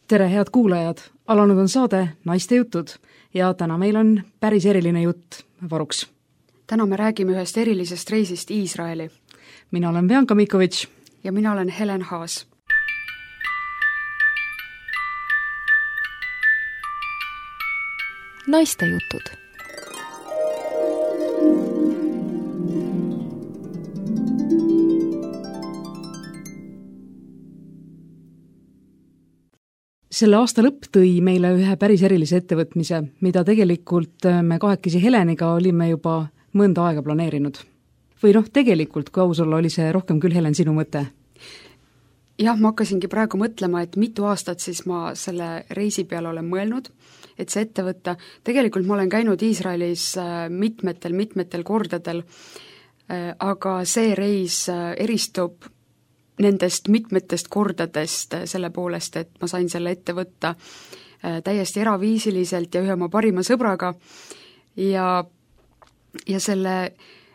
Tere, head kuulajad! Alanud on saade Naiste jutud ja täna meil on päris eriline jutt varuks. Täna me räägime ühest erilisest reisist Iisraeli. Mina olen Bianca Mikovitš. Ja mina olen Helen Haas. Naiste jutud. Selle aasta lõpp tõi meile ühe päris erilise ettevõtmise, mida tegelikult me kahekesi Heleniga olime juba mõnda aega planeerinud. Või tegelikult, kui aus olla, oli see rohkem küll, Helen, sinu mõte? Jah, ma hakkasingi praegu mõtlema, et mitu aastat siis ma selle reisi peale olen mõelnud, et see ette võtta. Tegelikult ma olen käinud Iisraelis mitmetel kordadel, aga see reis eristub nendest mitmetest kordadest selle poolest, et ma sain selle ette võtta täiesti eraviisiliselt ja ühe oma parima sõbraga ja selle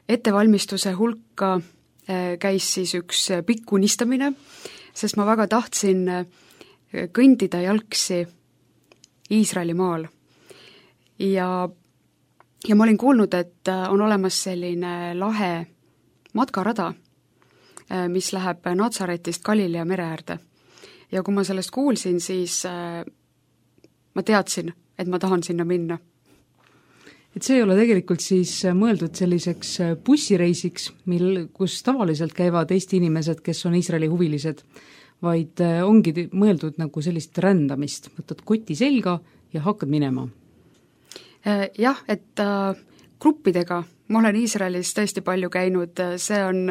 ettevalmistuse hulka käis siis üks pikk unistamine, sest ma väga tahtsin kõndida jalgsi Iisraeli maal. Ja ma olin kuulnud, et on olemas selline lahe matkarada, mis läheb Natsaretist Galilea mere äärde. Ja kui ma sellest kuulsin, siis ma teadsin, et ma tahan sinna minna. Et see ei ole tegelikult siis mõeldud selliseks bussireisiks, kus tavaliselt käivad Eesti inimesed, kes on Iisraeli huvilised, vaid ongi mõeldud nagu sellist rändamist. Võtad koti selga ja hakkad minema. Jah, et gruppidega ma olen Iisraelis tõesti palju käinud, see on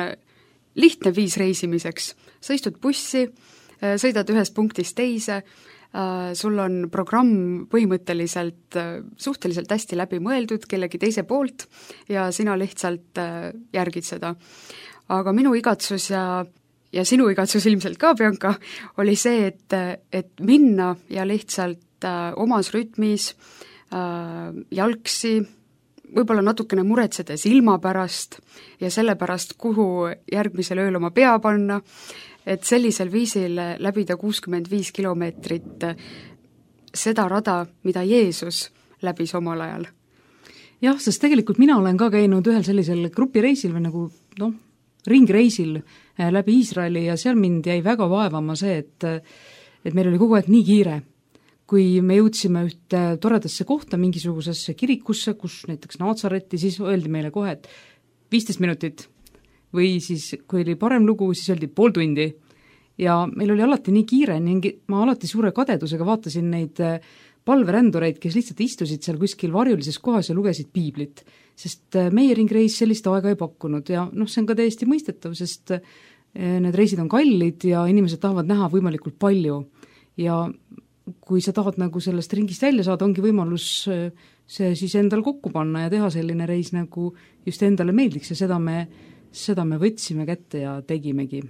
lihtne viis reisimiseks. Sa istud bussi, sõidad ühest punktist teise, sul on programm põhimõtteliselt suhteliselt hästi läbi mõeldud kellegi teise poolt ja sina lihtsalt järgid seda. Aga minu igatsus ja sinu igatsus ilmselt ka, Bianca, oli see, et minna ja lihtsalt omas rütmis jalgsi, võib-olla natukene muretsedes ilma pärast ja selle pärast, kuhu järgmisel ööl oma pea panna, et sellisel viisil läbida 65 kilomeetrit seda rada, mida Jeesus läbis omal ajal. Jah, sest tegelikult mina olen ka käinud ühel sellisel grupireisil või nagu ringreisil läbi Iisraeli ja seal mind jäi väga vaevama see, et meil oli kogu aeg nii kiire. Kui me jõudsime ühte toredasse kohta, mingisugusesse kirikusse, kus näiteks Natsaretti, siis öeldi meile kohe, et 15 minutit. Või siis, kui oli parem lugu, siis öeldi pool tundi. Ja meil oli alati nii kiire, ma alati suure kadedusega vaatasin neid palverändureid, kes lihtsalt istusid seal kuskil varjulises kohas ja lugesid piiblit. Sest meie ringreis sellist aega ei pakkunud ja see on ka täiesti mõistetav, sest need reisid on kallid ja inimesed tahavad näha võimalikult palju. Ja kui sa tahad nagu sellest ringist välja saada, ongi võimalus see siis endal kokku panna ja teha selline reis nagu just endale meeldiks ja seda me võtsime kätte ja tegimegi.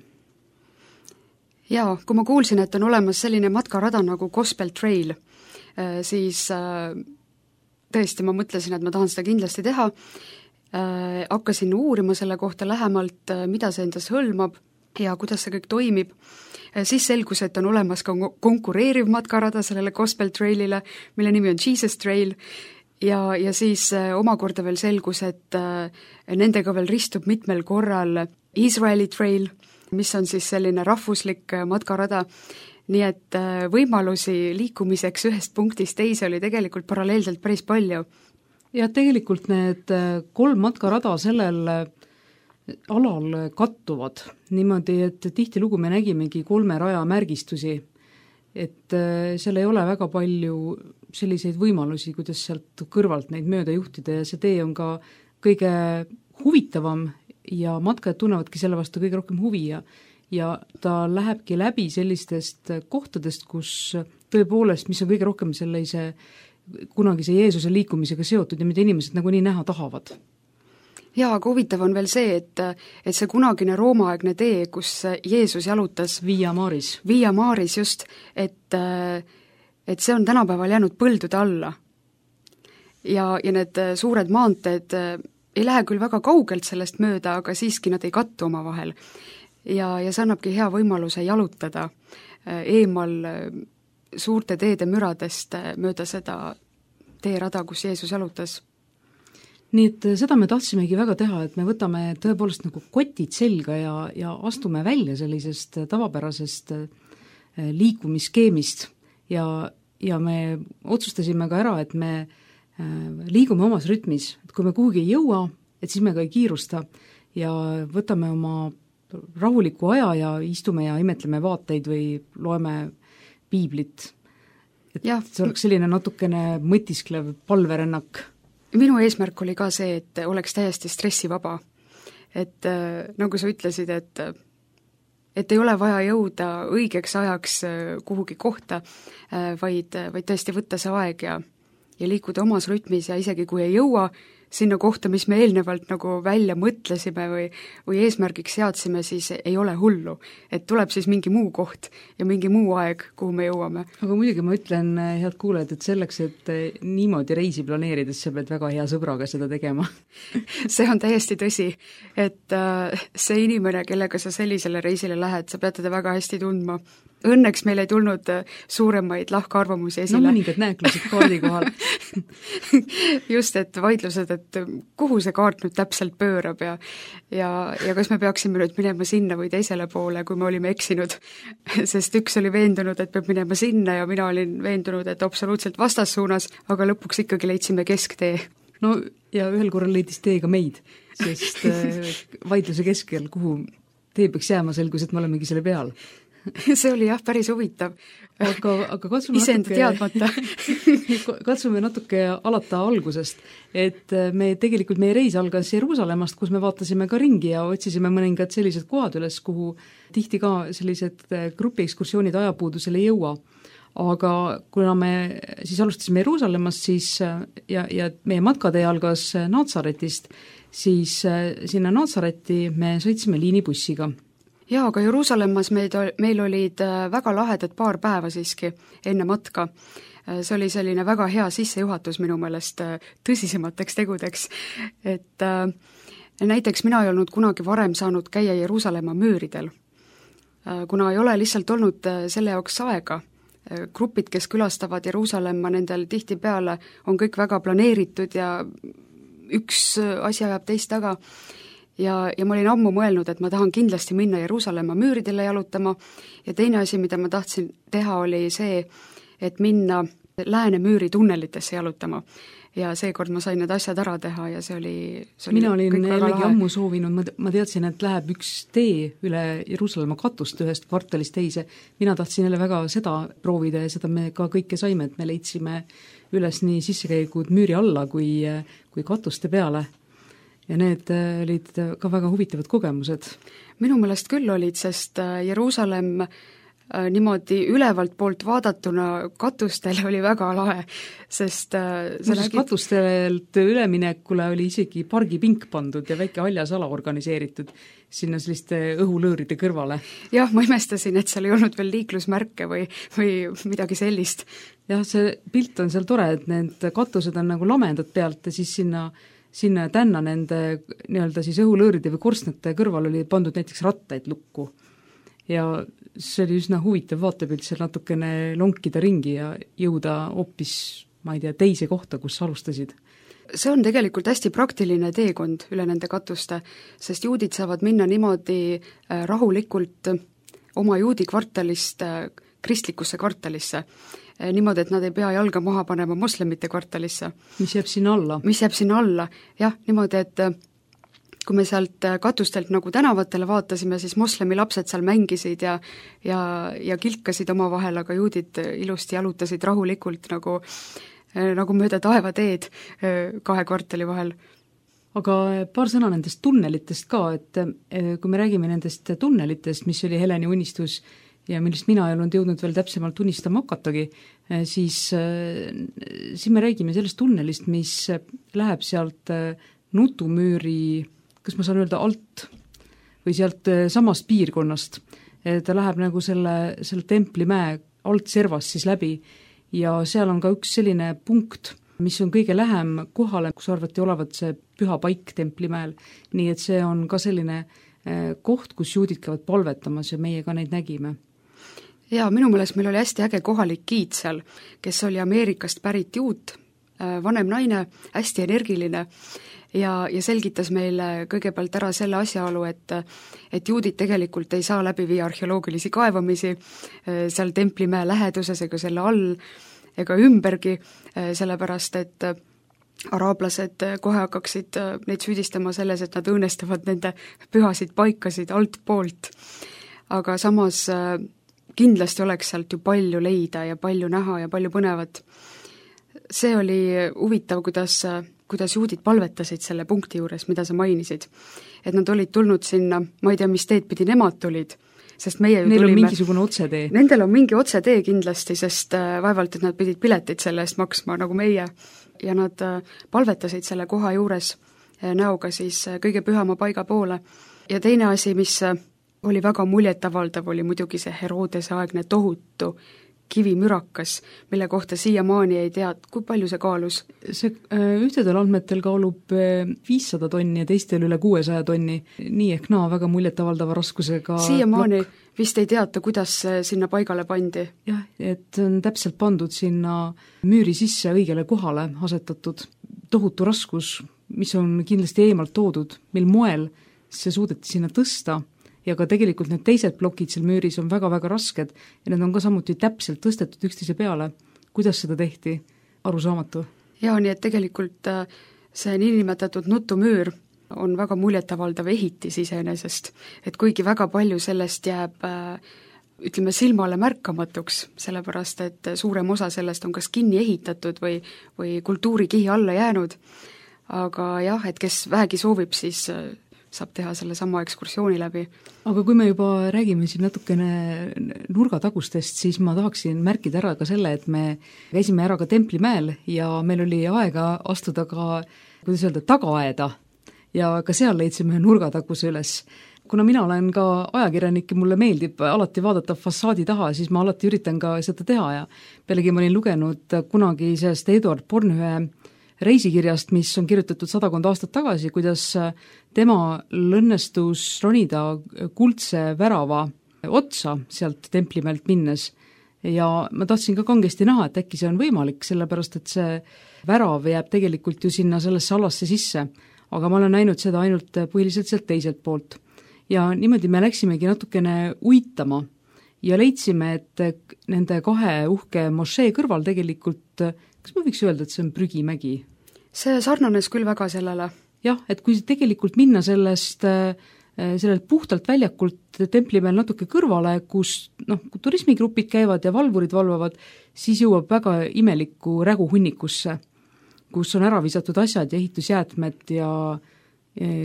Jaa, kui ma kuulsin, et on olemas selline matkarada nagu Gospel Trail, siis tõesti ma mõtlesin, et ma tahan seda kindlasti teha. Hakkasin uurima selle kohta lähemalt, mida see endas hõlmab ja kuidas see kõik toimib. Siis selgus, et on olemas ka konkureeriv matkarada sellele Gospel Trailile, mille nimi on Jesus Trail ja siis omakorda veel selgus, et nendega veel ristub mitmel korral Israeli Trail, mis on siis selline rahvuslik matkarada, nii et võimalusi liikumiseks ühest punktist teise oli tegelikult paralleelselt päris palju. Ja tegelikult need 3 matkarada sellel alal kattuvad niimoodi, et tihtilugu me nägimegi 3 raja märgistusi, et seal ei ole väga palju selliseid võimalusi, kuidas sealt kõrvalt neid mööda juhtida ja see tee on ka kõige huvitavam ja matkajad tunnevadki selle vastu kõige rohkem huvi ja ta lähebki läbi sellistest kohtadest, kus tõepoolest, mis on kõige rohkem sellise kunagise Jeesuse liikumisega seotud ja mida inimesed nagu nii näha tahavad. Jaa, aga huvitav on veel see, et see kunagine roomaaegne tee, kus Jeesus jalutas Via Maris just, et see on tänapäeval jäänud põldude alla. Ja need suured maanteed ei lähe küll väga kaugelt sellest mööda, aga siiski nad ei kattu oma vahel. Ja see annabki hea võimaluse jalutada eemal suurte teede müradest mööda seda teerada, kus Jeesus jalutas. Nii et seda me tahtsimegi väga teha, et me võtame tõepoolest nagu kotid selga ja astume välja sellisest tavapärasest liikumisskeemist ja me otsustasime ka ära, et me liigume omas rütmis, et kui me kuhugi ei jõua, et siis me ka ei kiirusta ja võtame oma rahuliku aja ja istume ja imetleme vaateid või loeme piiblit. Et ja. See oleks selline natukene mõtisklev palverännak. Minu eesmärk oli ka see, et oleks täiesti stressivaba. Et nagu sa ütlesid, et ei ole vaja jõuda õigeks ajaks kuhugi kohta, vaid tõesti võtta see aeg ja liikuda omas rütmis ja isegi kui ei jõua sinna kohta, mis me eelnevalt nagu välja mõtlesime või eesmärgiks seadsime, siis ei ole hullu. Et tuleb siis mingi muu koht ja mingi muu aeg, kuhu me jõuame. Aga muidugi ma ütlen, head kuulajad, et selleks, et niimoodi reisi planeerides, sa pead väga hea sõbraga seda tegema. See on täiesti tõsi, et see inimene, kellega sa sellisele reisile lähed, sa pead teda väga hästi tundma. Õnneks meil ei tulnud suuremaid lahkarvamusi esile. No mõningad nääklused kaardi kohal. Just, et vaidlused, et kuhu see kaart nüüd täpselt pöörab ja kas me peaksime nüüd minema sinna või teisele poole, kui me olime eksinud. Sest üks oli veendunud, et peab minema sinna ja mina olin veendunud, et absoluutselt vastassuunas, aga lõpuks ikkagi leidsime kesktee. No ja ühel korral leidis tee ka meid, sest vaidluse keskel, kuhu tee peaks jääma, selgus, et me olemegi selle peal. See oli jah, päris huvitav. Aga katsume iseenda teadmata. Katsume natuke alata algusest, et meie reis algas Jeruusalemmast, kus me vaatasime ka ringi ja otsisime mõningad sellised kohad üles, kuhu tihti ka sellised grupiekskursioonid ajapuudusel ei jõua. Aga kuna me siis alustasime Jeruusalemmast siis, ja meie matkatee algas Naatsaretist, siis sinna Naatsareti me sõitsime liinibussiga. Jaa, aga Jeruusalemmas meil olid väga lahedad paar päeva siiski enne matka. See oli selline väga hea sissejuhatus minu meelest tõsisemateks tegudeks. Et näiteks mina ei olnud kunagi varem saanud käia Jeruusalemma müüridel, kuna ei ole lihtsalt olnud selle jaoks aega. Grupid, kes külastavad Jeruusalemma, nendel tihtipeale on kõik väga planeeritud ja üks asi ajab teist taga. Ja ma olin ammu mõelnud, et ma tahan kindlasti minna Jeruusalemma müüridele jalutama ja teine asi, mida ma tahtsin teha, oli see, et minna Läänemüüri tunnelitesse jalutama. Ja seekord ma sain need asjad ära teha ja see oli mina olin jällegi ammu soovinud, ma teadsin, et läheb üks tee üle Jeruusalemma katust ühest kvartalist teise. Mina tahtsin jälle väga seda proovida ja seda me ka kõike saime, et me leidsime üles nii sissekäigud müüri alla kui katuste peale. Ja need olid ka väga huvitavad kogemused. Minu meelest küll olid, sest Jeruusalemm niimoodi ülevalt poolt vaadatuna katustel oli väga lahe, sest katustelt üleminekule oli isegi pargipink pandud ja väike haljasala organiseeritud sinna selliste õhulõõride kõrvale. Jah, ma imestasin, et seal ei olnud veel liiklusmärke või midagi sellist. Jah, see pilt on seal tore, et need katused on nagu lamendad pealt ja siis sinna tänna nende nii-öelda siis õhulõõride või korstnate kõrval oli pandud näiteks rattaid lukku. Ja see oli üsna huvitav vaatepilt seal natukene lonkida ringi ja jõuda hoopis, ma ei tea, teise kohta, kus alustasid. See on tegelikult hästi praktiline teekond üle nende katuste, sest juudid saavad minna niimoodi rahulikult oma juudi kvartalist kristlikusse kvartalisse. Niimoodi, et nad ei pea jalga maha panema moslemite kvartalisse. Mis jääb sinna alla? Jah, niimoodi, et kui me sealt katustelt nagu tänavatele vaatasime, siis moslemi lapsed seal mängisid ja kilkasid oma vahel, aga juudid ilusti jalutasid rahulikult nagu mööda taevateed 2 kvartali vahel. Aga paar sõna nendest tunnelitest ka, et kui me räägime nendest tunnelitest, mis oli Heleni unistus ja millest mina ei olnud jõudnud veel täpsemalt unistama hakatagi, siis me räägime sellest tunnelist, mis läheb sealt Nutumüüri, kas ma saan öelda alt või sealt samast piirkonnast. Ta läheb nagu selle Templimäe altservast siis läbi ja seal on ka üks selline punkt, mis on kõige lähem kohale, kus arvati olevat see püha paik Templimäel. Nii et see on ka selline koht, kus juudid käivad palvetamas ja meie ka neid nägime. Jaa, minu meelest meil oli hästi äge kohalik giid seal, kes oli Ameerikast pärit juut, vanem naine, hästi energiline ja selgitas meile kõigepealt ära selle asjaolu, et juudid tegelikult ei saa läbi viia arheoloogilisi kaevamisi seal Templimäe läheduses ega selle all ega ümbergi, sellepärast et araablased kohe hakkaksid neid süüdistama selles, et nad õõnestavad nende pühasid paikasid altpoolt. Aga samas kindlasti oleks sealt ju palju leida ja palju näha ja palju põnevat. See oli huvitav, kuidas juudid palvetasid selle punkti juures, mida sa mainisid. Et nad olid tulnud sinna, ma ei tea, mis teed pidi nemad tulid, sest meie Neil on mingisugune otsetee. Nendel on mingi otsetee kindlasti, sest vaevalt, et nad pidid pileteid selle eest maksma nagu meie. Ja nad palvetasid selle koha juures näoga siis kõige pühama paiga poole. Ja teine asi, mis oli väga muljetavaldav, oli muidugi see Herodese aegne tohutu kivimürakas, mille kohta siiamaani ei tea, kui palju see kaalus. See ühtedel andmetel kaalub 500 tonni ja teistel üle 600 tonni, nii ehk naa väga muljetavaldava raskusega siiamaani vist ei teata, kuidas sinna paigale pandi. Jah, et on täpselt pandud sinna müüri sisse õigele kohale asetatud tohutu raskus, mis on kindlasti eemalt toodud, mil moel see suudeti sinna tõsta ja ka tegelikult need teised plokid seal müüris on väga-väga rasked ja need on ka samuti täpselt tõstetud üksteise peale. Kuidas seda tehti? Arusaamatu. Jaa, nii et tegelikult see niinimetatud nutumüür on väga muljetavaldav ehitis iseenesest, et kuigi väga palju sellest jääb ütleme silmale märkamatuks, sellepärast et suurem osa sellest on kas kinni ehitatud või kultuurikihi alla jäänud, aga jah, et kes vähegi soovib, siis saab teha selle sama ekskursiooni läbi. Aga kui me juba räägime siin natukene nurgatagustest, siis ma tahaksin märkida ära ka selle, et me käisime ära ka Templimäel ja meil oli aega astuda ka, kuidas öelda, tagaaeda ja ka seal leidsime nurgataguse üles. Kuna mina olen ka ajakirjanik ja mulle meeldib alati vaadata fassaadi taha, siis ma alati üritan ka seda teha ja pealegi ma olin lugenud kunagi sellest Eduard Bornhöhe reisikirjast, mis on kirjutatud 100 aastat tagasi, kuidas tema õnnestus ronida kuldse värava otsa sealt Templimäelt minnes. Ja ma tahtsin ka kangesti näha, et äkki see on võimalik, sellepärast et see värav jääb tegelikult ju sinna sellesse alasse sisse, aga ma olen näinud seda ainult põhiliselt sealt teiselt poolt. Ja niimoodi me läksimegi natukene uitama ja leidsime, et nende kahe uhke mošee kõrval tegelikult, kas ma võiks öelda, et see on prügimägi? See sarnanes küll väga sellele. Jah, et kui tegelikult minna sellelt puhtalt väljakult Templimäel natuke kõrvale, kus turismigrupid käivad ja valvurid valvavad, siis jõuab väga imeliku räguhunnikusse, kus on ära visatud asjad ja ehitusjäätmed ja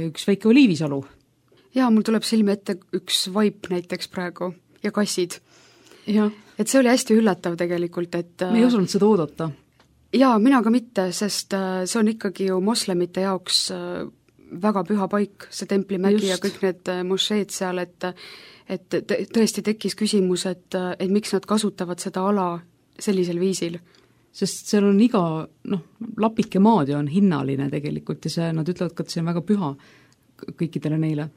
üks väike oliivisalu. Jaa, mul tuleb silme ette üks vaip näiteks praegu ja kassid. Ja. Et see oli hästi üllatav tegelikult, et me ei osanud seda oodata. Jaa, mina ka mitte, sest see on ikkagi ju moslemite jaoks väga püha paik, see Templimägi ja kõik need mošeed seal, et tõesti tekkis küsimus, et miks nad kasutavad seda ala sellisel viisil. Sest seal on iga, lapike maad on hinnaline tegelikult ja see, nad ütlevad ka, et see on väga püha kõikidele neile.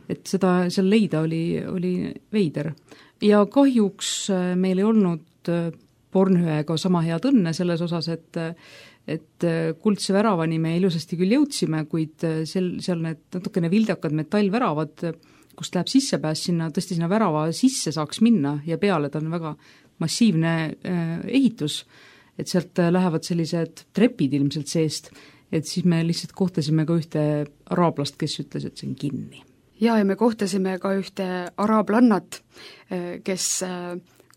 Et seda seal leida oli veider. Ja kahjuks meil ei olnud Bornhöega sama head õnne selles osas, et kuldse väravani me ilusasti küll jõudsime, kuid seal need natukene vildakad metallväravad, kust läheb sissepääs tõesti sinna värava sisse saaks minna ja peale ta on väga massiivne ehitus, et sealt lähevad sellised trepid ilmselt seest, et siis me lihtsalt kohtasime ka ühte araablast, kes ütles, et see on kinni. Ja me kohtasime ka ühte araablannat, kes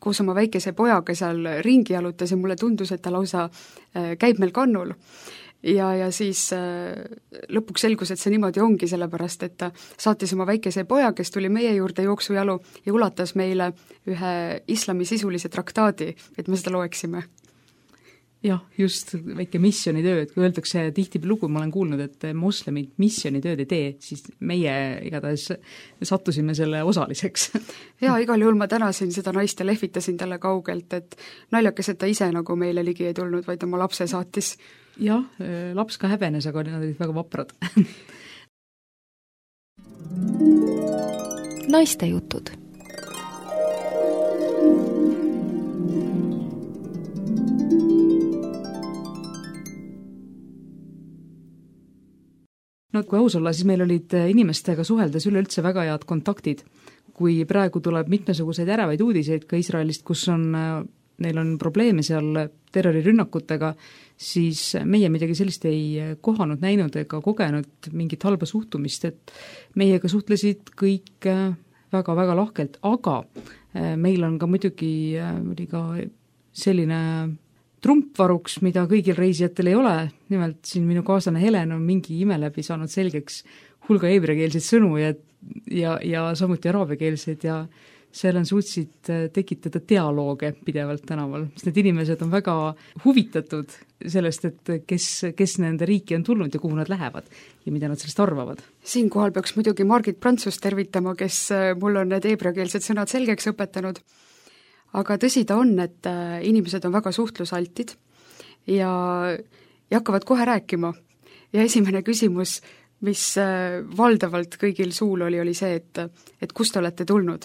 koos oma väikese pojaga seal ringi jalutas ja mulle tundus, et ta lausa käib meil kannul. Ja siis lõpuks selgus, et see niimoodi ongi, sellepärast, et ta saatis oma väikese poja, kes tuli meie juurde jooksujalu ja ulatas meile ühe islami sisulise traktaadi, et me seda loeksime. Jah, just väike missionitöö, et kui öeldakse tihti lugu, ma olen kuulnud, et moslemid missionitööd ei tee, siis meie igatahes sattusime selle osaliseks. Jaa, igal juhul ma tänasin seda naist ja lehvitasin talle kaugelt, et naljakas, et ta ise nagu meile ligi ei tulnud, vaid oma lapse saatis. Jah, laps ka häbenes, aga nad olid väga vaprad. Naiste jutud. No kui aus olla, siis meil olid inimestega suheldes üleüldse väga head kontaktid. Kui praegu tuleb mitmesuguseid ärevaid uudiseid ka Iisraelist, kus neil on probleeme seal terrorirünnakutega, siis meie midagi sellist ei kohanud, näinud ega kogenud mingit halba suhtumist, et meiega suhtlesid kõik väga-väga lahkelt, aga meil on ka muidugi oli ka selline trumpvaruks, mida kõigil reisijatel ei ole, nimelt siin minu kaaslane Helen on mingi ime läbi saanud selgeks hulga heebreakeelseid sõnu ja samuti araabiakeelseid ja seal on suutsid tekitada dialooge pidevalt tänaval, sest need inimesed on väga huvitatud sellest, et kes nende riiki on tulnud ja kuhu nad lähevad ja mida nad sellest arvavad. Siinkohal peaks muidugi Margit Prantsust tervitama, kes mul on need heebreakeelsed sõnad selgeks õpetanud. Aga tõsi ta on, et inimesed on väga suhtlusaltid ja hakkavad kohe rääkima. Ja esimene küsimus, mis valdavalt kõigil suul oli see, et kust te olete tulnud.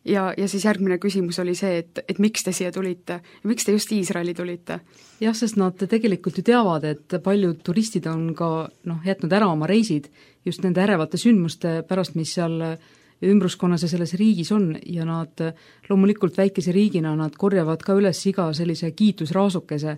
Ja siis järgmine küsimus oli see, et miks te siia tulite ja miks te just Iisraeli tulite? Jah, sest nad tegelikult ju teavad, et paljud turistid on ka jätnud ära oma reisid just nende ärevate sündmuste pärast, mis seal ümbruskonnas ja selles riigis on ja nad loomulikult väikese riigina nad korjavad ka üles iga sellise kiitusraasukese,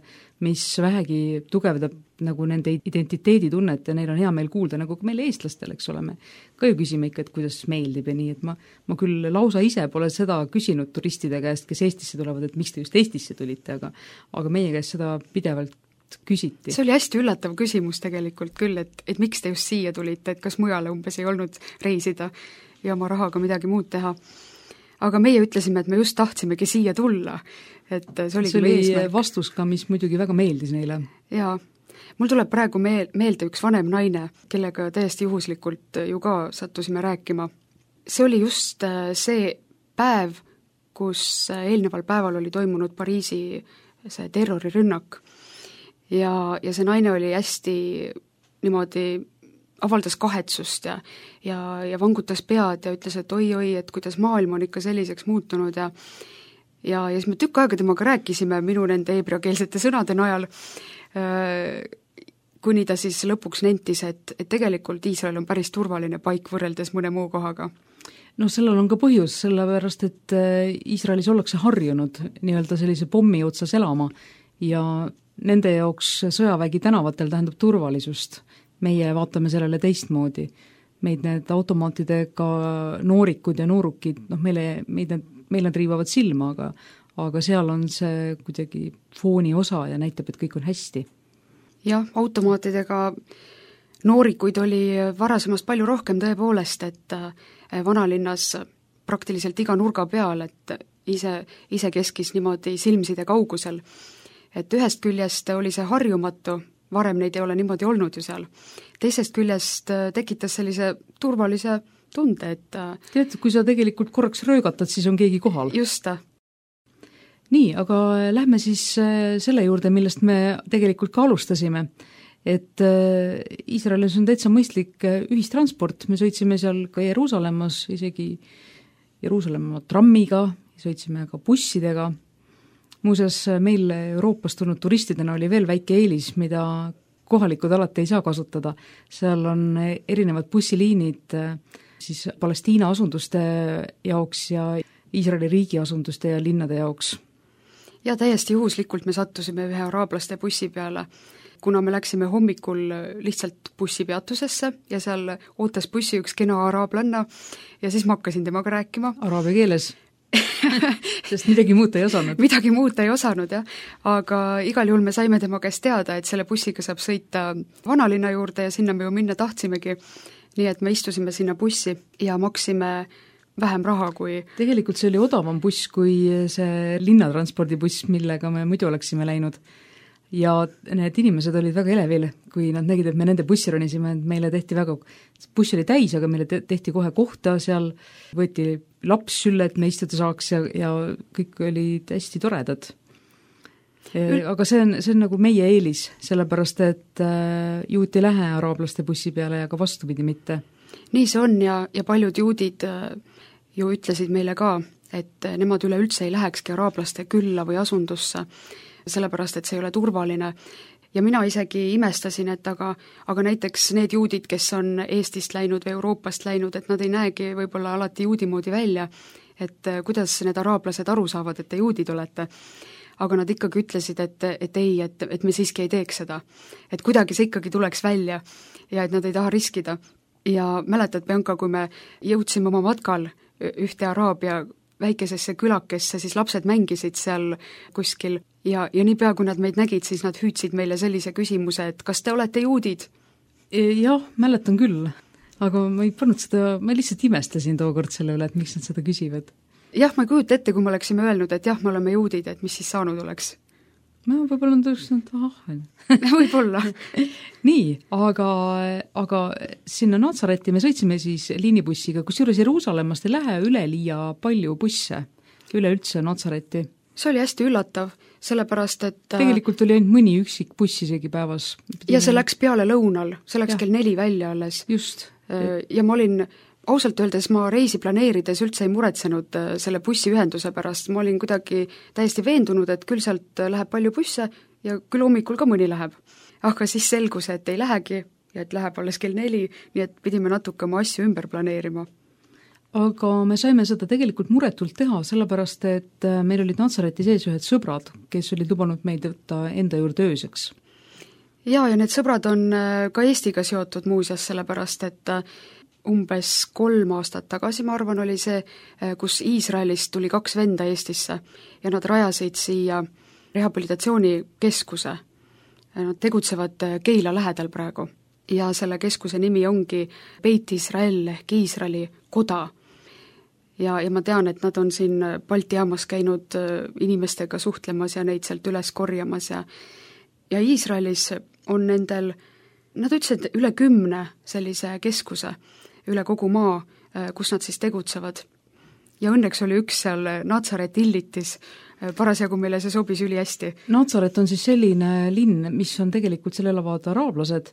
mis vähegi tugevdab nagu nende identiteeditunnet ja neil on hea meel kuulda, nagu ka meil eestlastel, eks ole, me ka ju küsime ikka, et kuidas meeldib ja nii, et ma küll lausa ise pole seda küsinud turistide käest, kes Eestisse tulevad, et miks te just Eestisse tulite, aga meie käest seda pidevalt küsiti. See oli hästi üllatav küsimus tegelikult küll, et miks te just siia tulite, et kas mujale umbes ei olnud reisida ja oma rahaga midagi muud teha. Aga meie ütlesime, et me just tahtsimegi siia tulla. Et see oli vastus ka, mis muidugi väga meeldis neile. Jaa, mul tuleb praegu meelde üks vanem naine, kellega täiesti juhuslikult ju ka sattusime rääkima. See oli just see päev, kus eelneval päeval oli toimunud Pariisi see terrorirünnak. Ja see naine oli hästi niimoodi avaldas kahetsust ja vangutas pead ja ütles, et oi, et kuidas maailm on ikka selliseks muutunud ja siis me tükk aega temaga rääkisime minu nende heebreakeelsete sõnade najal, kuni ta siis lõpuks nentis, et tegelikult Iisrael on päris turvaline paik võrreldes mõne muu kohaga. No sellel on ka põhjus, sellepärast, et Iisraelis ollakse harjunud nii-öelda sellise pommi otsas elama ja nende jaoks sõjavägi tänavatel tähendab turvalisust. Meie vaatame sellele teistmoodi. Meid need automaatidega noorikud ja noorukid, meil nad riivavad silma, aga seal on see kuidagi fooni osa ja näitab, et kõik on hästi. Jah, automaatidega noorikuid oli varasemast palju rohkem tõepoolest, et vanalinnas praktiliselt iga nurga peal, et ise keskis niimoodi silmside kaugusel. Et ühest küljest oli see harjumatu, varem neid ei ole niimoodi olnud ju seal. Teisest küljest tekitas sellise turvalise tunde, et tead, kui sa tegelikult korraks röögatad, siis on keegi kohal. Just. Nii, aga lähme siis selle juurde, millest me tegelikult ka alustasime. Et Iisraelis on täitsa mõistlik ühistransport, me sõitsime seal ka Jeruusalemmas, isegi Jeruusalemma trammiga, sõitsime ka bussidega. Muuseas, meil Euroopast tulnud turistidena oli veel väike eelis, mida kohalikud alati ei saa kasutada. Seal on erinevad bussiliinid siis Palestiina asunduste jaoks ja Iisraeli riigi asunduste ja linnade jaoks. Ja täiesti juhuslikult me sattusime ühe araablaste bussi peale, kuna me läksime hommikul lihtsalt bussipeatusesse ja seal ootas bussi üks kena araablanna ja siis ma hakkasin temaga rääkima. Araabia keeles? Sest midagi muuta ei osanud. Midagi muuta ei osanud, jah. Aga igal juhul me saime tema käest teada, et selle bussiga saab sõita vanalinna juurde ja sinna me ju minna tahtsimegi. Nii et me istusime sinna bussi ja maksime vähem raha kui... Tegelikult see oli odavam buss kui see linnatranspordibuss, millega me muidu oleksime läinud. Ja need inimesed olid väga elevil, kui nad nägid, et me nende bussi ronisime, et meile tehti väga, buss oli täis, aga meile tehti kohe kohta, seal võeti laps sülle, et me istuda saaks ja kõik olid hästi toredad. Aga see on nagu meie eelis, sellepärast et juut ei lähe araablaste bussi peale ja ka vastupidi mitte. Nii see on ja paljud juudid ju ütlesid meile ka, et nemad üleüldse ei lähekski araablaste külla või asundusse, sellepärast, et see ei ole turvaline ja mina isegi imestasin, et aga näiteks need juudid, kes on Eestist läinud või Euroopast läinud, et nad ei näegi võib-olla alati juudi moodi välja, et kuidas need araablased aru saavad, et te juudid olete. Aga nad ikkagi ütlesid, et ei, et me siiski ei teeks seda. Et kuidagi see ikkagi tuleks välja ja et nad ei taha riskida. Ja mäletad, Bianca, kui me jõudsime oma matkal ühte Araabia väikesesse külakesse, siis lapsed mängisid seal kuskil ja niipea, kui nad meid nägid, siis nad hüüdsid meile sellise küsimuse, et kas te olete juudid? Jah, mäletan küll, aga ma ei pannud seda, ma lihtsalt imestasin tookord selle üle, et miks nad seda küsivad. Jah, ma ei kujuta ette, kui me oleksime öelnud, et jah, me oleme juudid, et mis siis saanud oleks. No võib-olla on tõusnud, võib-olla. Nii, aga sinna Natsareti me sõitsime siis liinibussiga, kusjuures Jeruusalemmast ei lähe üleliia palju busse üleüldse Natsareti. See oli hästi üllatav, sellepärast, et tegelikult oli ainult mõni üksik buss isegi päevas. Ja see läks peale lõunal, see läks kell 4 välja alles. Just. Ja ma olin ausalt öeldes ma reisi planeerides üldse ei muretsenud selle bussiühenduse pärast, ma olin kuidagi täiesti veendunud, et küll sealt läheb palju busse ja küll hommikul ka mõni läheb. Aga siis selgus, et ei lähegi ja et läheb alles kell 4, nii et pidime natuke oma asju ümber planeerima. Aga me saime seda tegelikult muretult teha, sellepärast et meil olid Natsareti sees ühed sõbrad, kes olid lubanud meid võtta enda juurde ööseks. Ja need sõbrad on ka Eestiga seotud muuseas, sellepärast et umbes 3 aastat tagasi, ma arvan, oli see, kus Iisraelist tuli 2 venda Eestisse ja nad rajasid siia rehabilitatsioonikeskuse. Nad tegutsevad Keila lähedal praegu ja selle keskuse nimi ongi Beit Israel ehk Iisraeli koda. Ja ma tean, et nad on siin Balti jaamas käinud inimestega suhtlemas ja neid sealt üles korjamas ja Iisraelis on nendel, nad ütlesid üle 10 sellise keskuse üle kogu maa, kus nad siis tegutsevad. Ja õnneks oli üks seal Natsaret Illitis, parasjagu meile see sobis ülihästi. Natsaret on siis selline linn, mis on tegelikult, seal elavad araablased,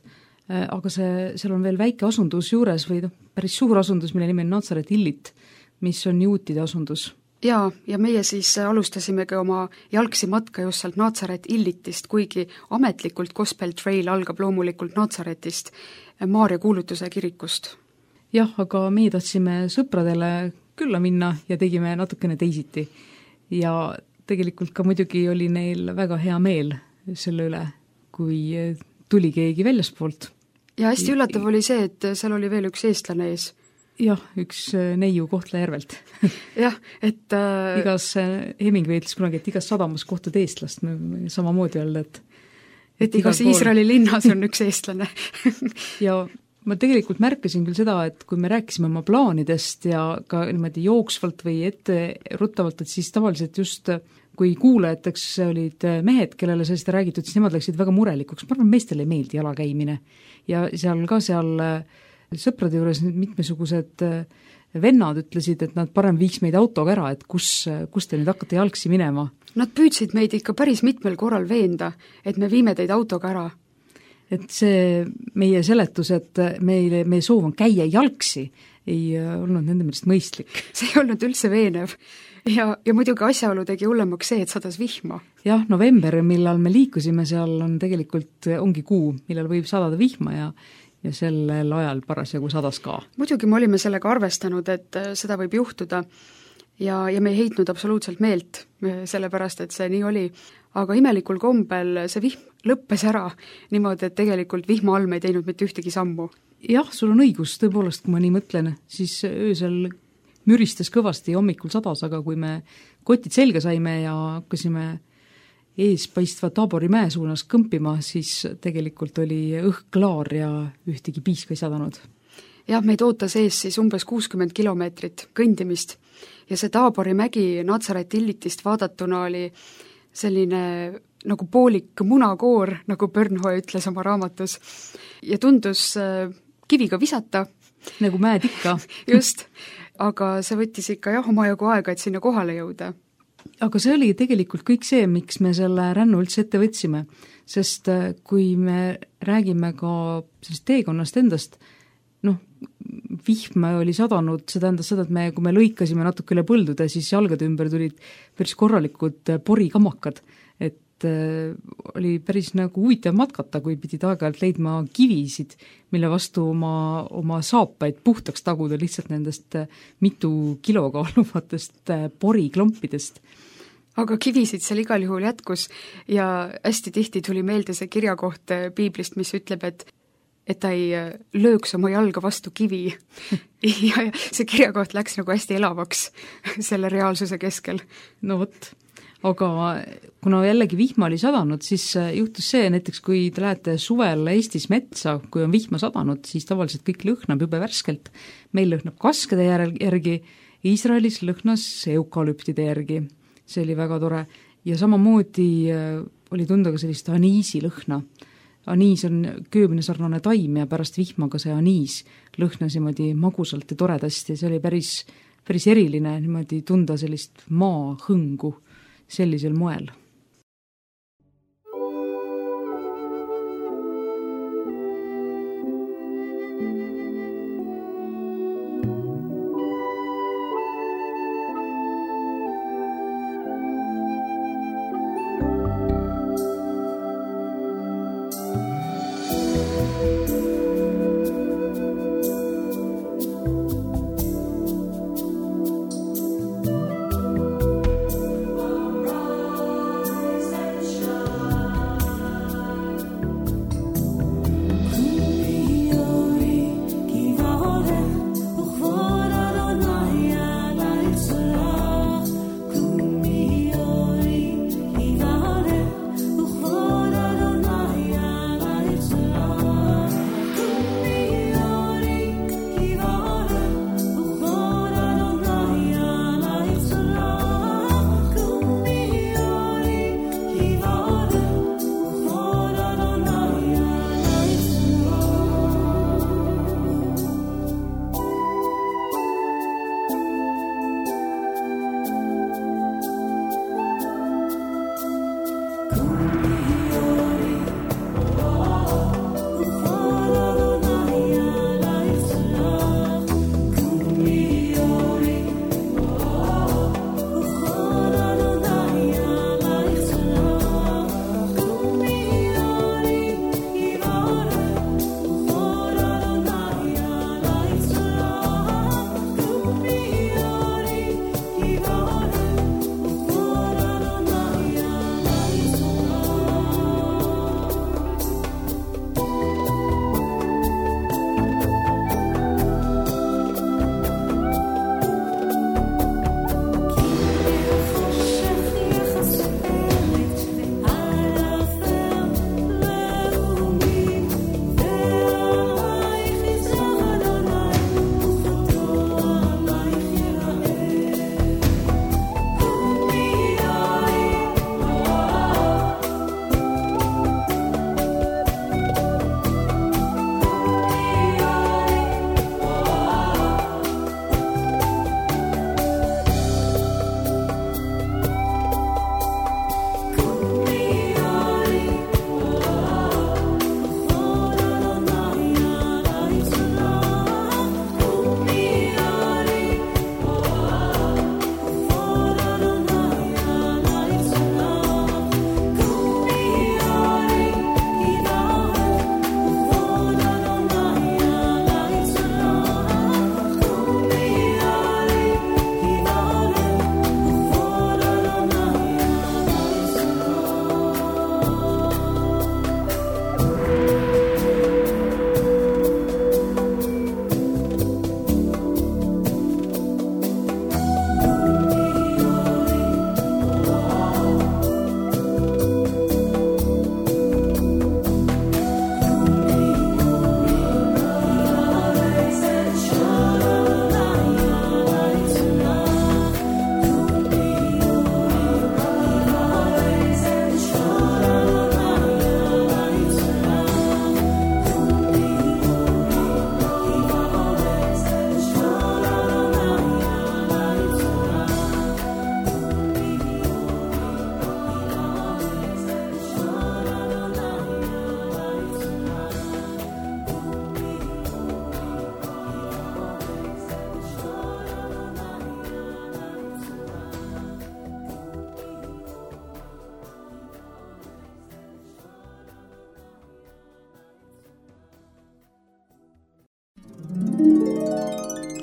aga seal on veel väike asundus juures või päris suur asundus, mille nimi on Natsaret Illit, mis on juutide asundus. Ja meie siis alustasimegi oma jalgsi matka just sealt Natsaret Illitist, kuigi ametlikult Gospel Trail algab loomulikult Natsaretist, Maarja kuulutuse kirikust. Jah, aga meie tahtsime sõpradele külla minna ja tegime natukene teisiti. Ja tegelikult ka muidugi oli neil väga hea meel selle üle, kui tuli keegi väljaspoolt. Ja hästi üllatav oli see, et seal oli veel üks eestlane ees. Jah, üks neiu Kohtla-Järvelt. Jah, et igas Hemingway ütles kunagi, et igas sadamas kohtud eestlast, samamoodi öelda, et igas Iisraeli linnas on üks eestlane. Ja ma tegelikult märkasin küll seda, et kui me rääkisime oma plaanidest ja ka niimoodi jooksvalt või ette ruttavalt, et siis tavaliselt just kui kuulajateks olid mehed, kellele sellest räägitud, siis nemad läksid väga murelikuks. Ma arvan, meestele ei meeldi jalakäimine. Ja seal sõprade juures mitmesugused vennad ütlesid, et nad parem viiks meid autoga ära, et kus te nüüd hakkate jalgsi minema. Nad püüdsid meid ikka päris mitmel korral veenda, et me viime teid autoga ära. Et see meie seletus, et meie soov on käia jalgsi, ei olnud nende meelest mõistlik. See ei olnud üldse veenev. Ja muidugi asjaolu tegi hullemaks see, et sadas vihma. Jah, november, millal me liikusime seal, on tegelikult ongi kuu, millal võib sadada vihma ja sellel ajal parasjagu sadas ka. Muidugi me olime sellega arvestanud, et seda võib juhtuda ja me ei heitnud absoluutselt meelt, sellepärast, et see nii oli. Aga imelikul kombel see vihm lõppes ära niimoodi, et tegelikult vihma all me ei teinud mitte ühtegi sammu. Jah, sul on õigus, tõepoolest, kui ma nii mõtlen, siis öösel müristas kõvasti ja hommikul sadas, aga kui me kotid selga saime ja hakkasime eespaistva Taabori mäe suunas kõmpima, siis tegelikult oli õhk klaar ja ühtegi piiska ei sadanud. Jah, meid ootas ees siis umbes 60 kilomeetrit kõndimist ja see Taabori mägi Natsaret Illitist vaadatuna oli selline nagu poolik munakoor, nagu Bernhoe ütles oma raamatus, ja tundus kiviga visata. Nagu mäed ikka. Just, aga see võttis ikka omajagu aega, et sinna kohale jõuda. Aga see oli tegelikult kõik see, miks me selle rännu üldse ette võtsime, sest kui me räägime ka sellest teekonnast endast, vihma oli sadanud, see tähendas seda, et kui me lõikasime natuke üle põldude, siis jalgade ümber tulid päris korralikud porikamakad, et et oli päris nagu huvitav matkata, kui pidid aeg-ajalt leidma kivisid, mille vastu oma saapaid puhtaks taguda lihtsalt nendest mitu kilo kaaluvatest poriklompidest. Aga kivisid seal igal juhul jätkus ja hästi tihti tuli meelde see kirjakoht piiblist, mis ütleb, et ta ei lööks oma jalga vastu kivi. ja see kirjakoht läks nagu hästi elavaks selle reaalsuse keskel. No vot, aga kuna jällegi vihma oli sadanud, siis juhtus see näiteks, kui te lähete suvel Eestis metsa, kui on vihma sadanud, siis tavaliselt kõik lõhnab jube värskelt. Meil lõhnab kaskede järgi, Iisraelis lõhnas eukalüptide järgi. See oli väga tore ja samamoodi oli tunda ka sellist aniisi lõhna. Aniis on köömine sarnane taim ja pärast vihmaga see aniis lõhnas niimoodi magusalt ja toredasti ja see oli päris eriline niimoodi tunda sellist maahõngu sellisel moel.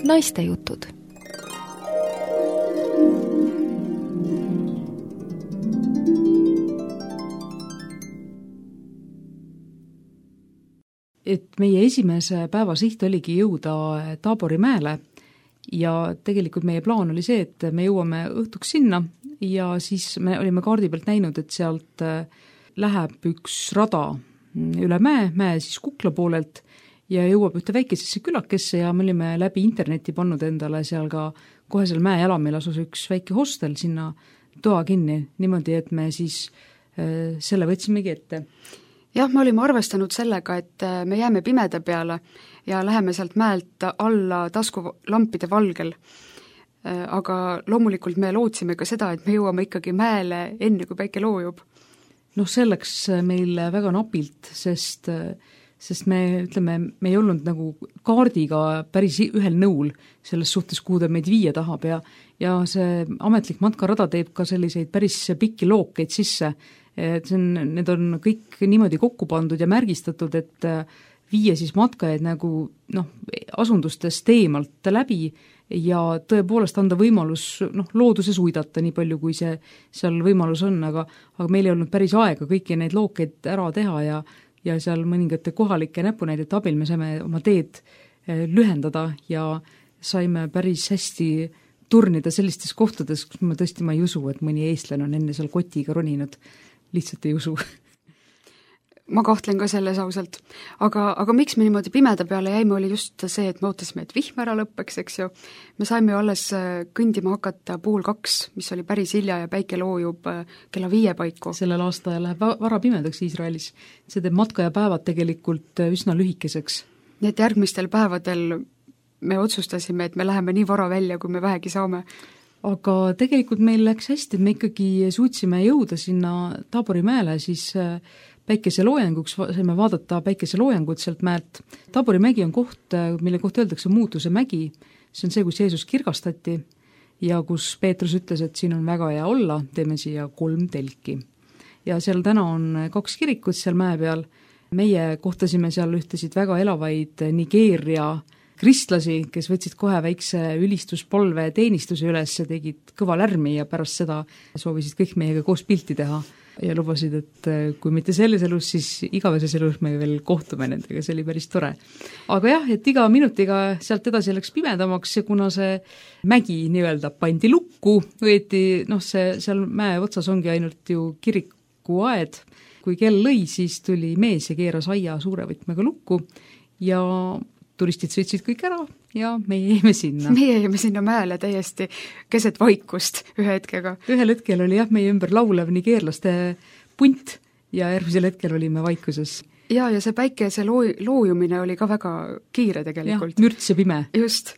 Naistejutud. Et meie esimese päeva siht oligi jõuda Taabori mäele ja tegelikult meie plaan oli see, et me jõuame õhtuks sinna ja siis me olime kaardi pealt näinud, et sealt läheb üks rada üle mäe siis Kukla poolelt ja jõuab ühte väikesesse külakesse ja me olime läbi interneti pannud endale seal ka kohe seal mäe jalamil asus üks väike hostel sinna toa kinni, niimoodi, et me siis selle võtsimegi ette. Jah, me olime arvestanud sellega, et me jääme pimeda peale ja läheme sealt mäelt alla taskulampide valgel. Aga loomulikult me lootsime ka seda, et me jõuame ikkagi mäele enne, kui päike loojub. Selleks meil väga napilt, sest me, ütleme, me ei olnud nagu kaardiga päris ühel nõul selles suhtes, kuhu ta meid viia tahab ja see ametlik matkarada teeb ka selliseid päris pikki lookeid sisse, et need on kõik niimoodi kokku pandud ja märgistatud, et viia siis matkajaid nagu asundustest eemalt läbi ja tõepoolest anda võimalus looduses uidata nii palju, kui see seal võimalus on, aga meil ei olnud päris aega kõiki neid lookeid ära teha ja seal mõningate kohalike näpunäidete abil me saime oma teed lühendada ja saime päris hästi turnida sellistes kohtades, kus ma ei usu, et mõni eestlane on enne seal kotiga roninud. Lihtsalt ei usu. Ma kahtlen ka selles ausalt. Aga miks me niimoodi pimeda peale jäime, oli just see, et me ootasime, et vihm ära lõppeks, eks ju. Me saime alles kõndima hakata 1:30, mis oli päris hilja ja päike loojub kella 5 paiku. Sellel aasta läheb vara pimedaks Iisraelis. See teeb matkajapäevad tegelikult üsna lühikeseks. Nii et järgmistel päevadel me otsustasime, et me läheme nii vara välja, kui me vähegi saame. Aga tegelikult meil läks hästi, et me ikkagi suutsime jõuda sinna Taabori mäele, siis päikeseloojanguks saime vaadata päikeseloojangut sealt mäelt. Taabori mägi on koht, mille kohta öeldakse muutuse mägi. See on see, kus Jeesus kirgastati ja kus Peetrus ütles, et siin on väga hea olla, teeme siia 3 telki. Ja seal täna on 2 kirikut seal mäe peal. Meie kohtasime seal ühtesid väga elavaid Nigeeria kristlasi, kes võtsid kohe väikse ülistuspolve teenistuse üles ja tegid kõva lärmi ja pärast seda soovisid kõik meiega koos pilti teha ja lubasid, et kui mitte selles elus, siis igaveses elus me veel kohtume nendega, see oli päris tore. Aga jah, et iga minutiga sealt edasi läks pimedamaks ja kuna see mägi nii-öelda pandi lukku, võeti, see seal mäe otsas ongi ainult ju kirikuaed, kui kell lõi, siis tuli mees ja keeras aia suure võtmega lukku ja turistid sõitsid kõik ära ja meie jäime sinna. Meie jäime sinna mäele täiesti keset vaikust ühe hetkega. Ühel hetkel oli jah meie ümber laulev nigeerlaste punt ja järgmisel hetkel olime vaikuses. Ja see päikese loojumine oli ka väga kiire tegelikult. Ja, mürts ja pime. Just.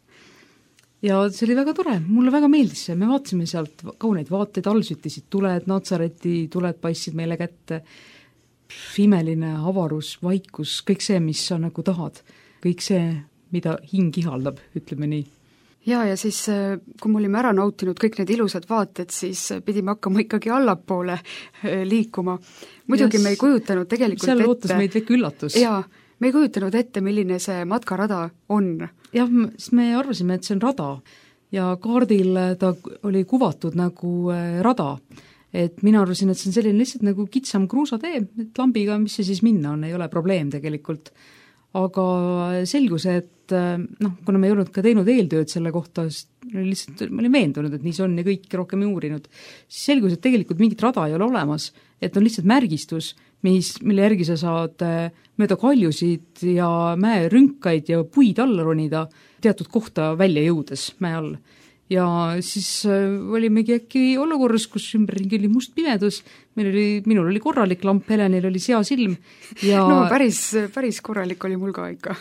Ja see oli väga tore, mulle väga meeldis see, me vaatasime sealt kauneid vaateid, all süttisid tuled, Natsareti tuled paistsid meile kätte, imeline avarus, vaikus, kõik see, mis sa nagu tahad. Kõik see, mida hing ihaldab, ütleme nii. Ja siis, kui me olime ära nautinud kõik need ilusad vaated, siis pidime hakkama ikkagi allapoole liikuma. Muidugi me ei kujutanud tegelikult seal ootas meid väike üllatus. Jaa, me ei kujutanud ette, milline see matkarada on. Jah, siis me arvasime, et see on rada ja kaardil ta oli kuvatud nagu rada. Et mina arvasin, et see on selline lihtsalt nagu kitsam kruusatee, et lambiga, mis see siis minna on, ei ole probleem tegelikult. Aga selgus, et kuna me ei olnud ka teinud eeltööd selle kohta, lihtsalt ma olin veendunud, et nii see on ja kõik rohkem ei uurinud, siis selgus, et tegelikult mingit rada ei ole olemas, et on lihtsalt märgistus, mille järgi sa saad mööda kaljusid ja mäerünkaid ja puid alla ronida teatud kohta välja jõudes mäe all. Ja siis olimegi äkki olukorras, kus ümberringi oli must pimedus, minul oli korralik lamp, Helenil oli seasilm ja päris korralik oli mul ka ikka.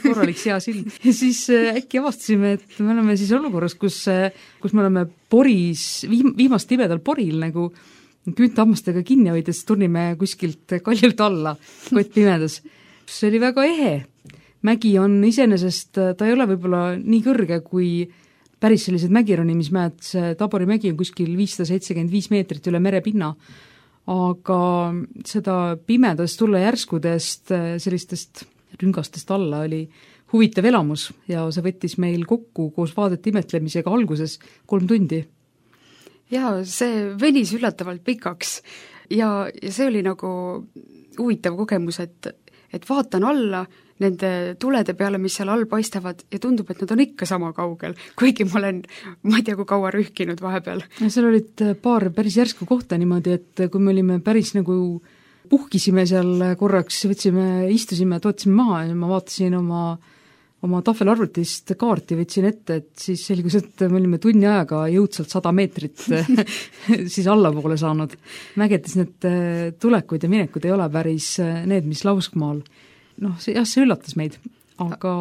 Korralik seasilm. Ja siis äkki avastasime, et me oleme siis olukorras, kus me oleme poris, viimast tibedal poril nagu küüntahammastega kinni hoides turnime kuskilt kaljult alla, kott pimedas. See oli väga ehe. Mägi on iseenesest, ta ei ole võib-olla nii kõrge kui päris sellised mägironimismäed, see Tabori mägi on kuskil 575 meetrit üle merepinna, aga seda pimedast tulla järskudest sellistest rüngastest alla oli huvitav elamus ja see võttis meil kokku koos vaadete imetlemisega alguses 3 tundi. Jaa, see venis üllatavalt pikaks ja see oli nagu huvitav kogemus, et vaatan alla nende tulede peale, mis seal all paistavad ja tundub, et nad on ikka sama kaugel, kuigi ma ei tea, kui kaua rühkinud vahepeal. Seal olid paar päris järsku kohta niimoodi, et kui me olime päris nagu puhkisime seal korraks, istusime, tootsime maha ja ma vaatasin oma tahvelarvutist kaarti, võtsin ette, et siis selgus, et me olime tunni ajaga jõudsalt 100 meetrit siis allapoole saanud. Mägedes need tulekud ja minekud ei ole päris need, mis lauskmaal. See üllatas meid, aga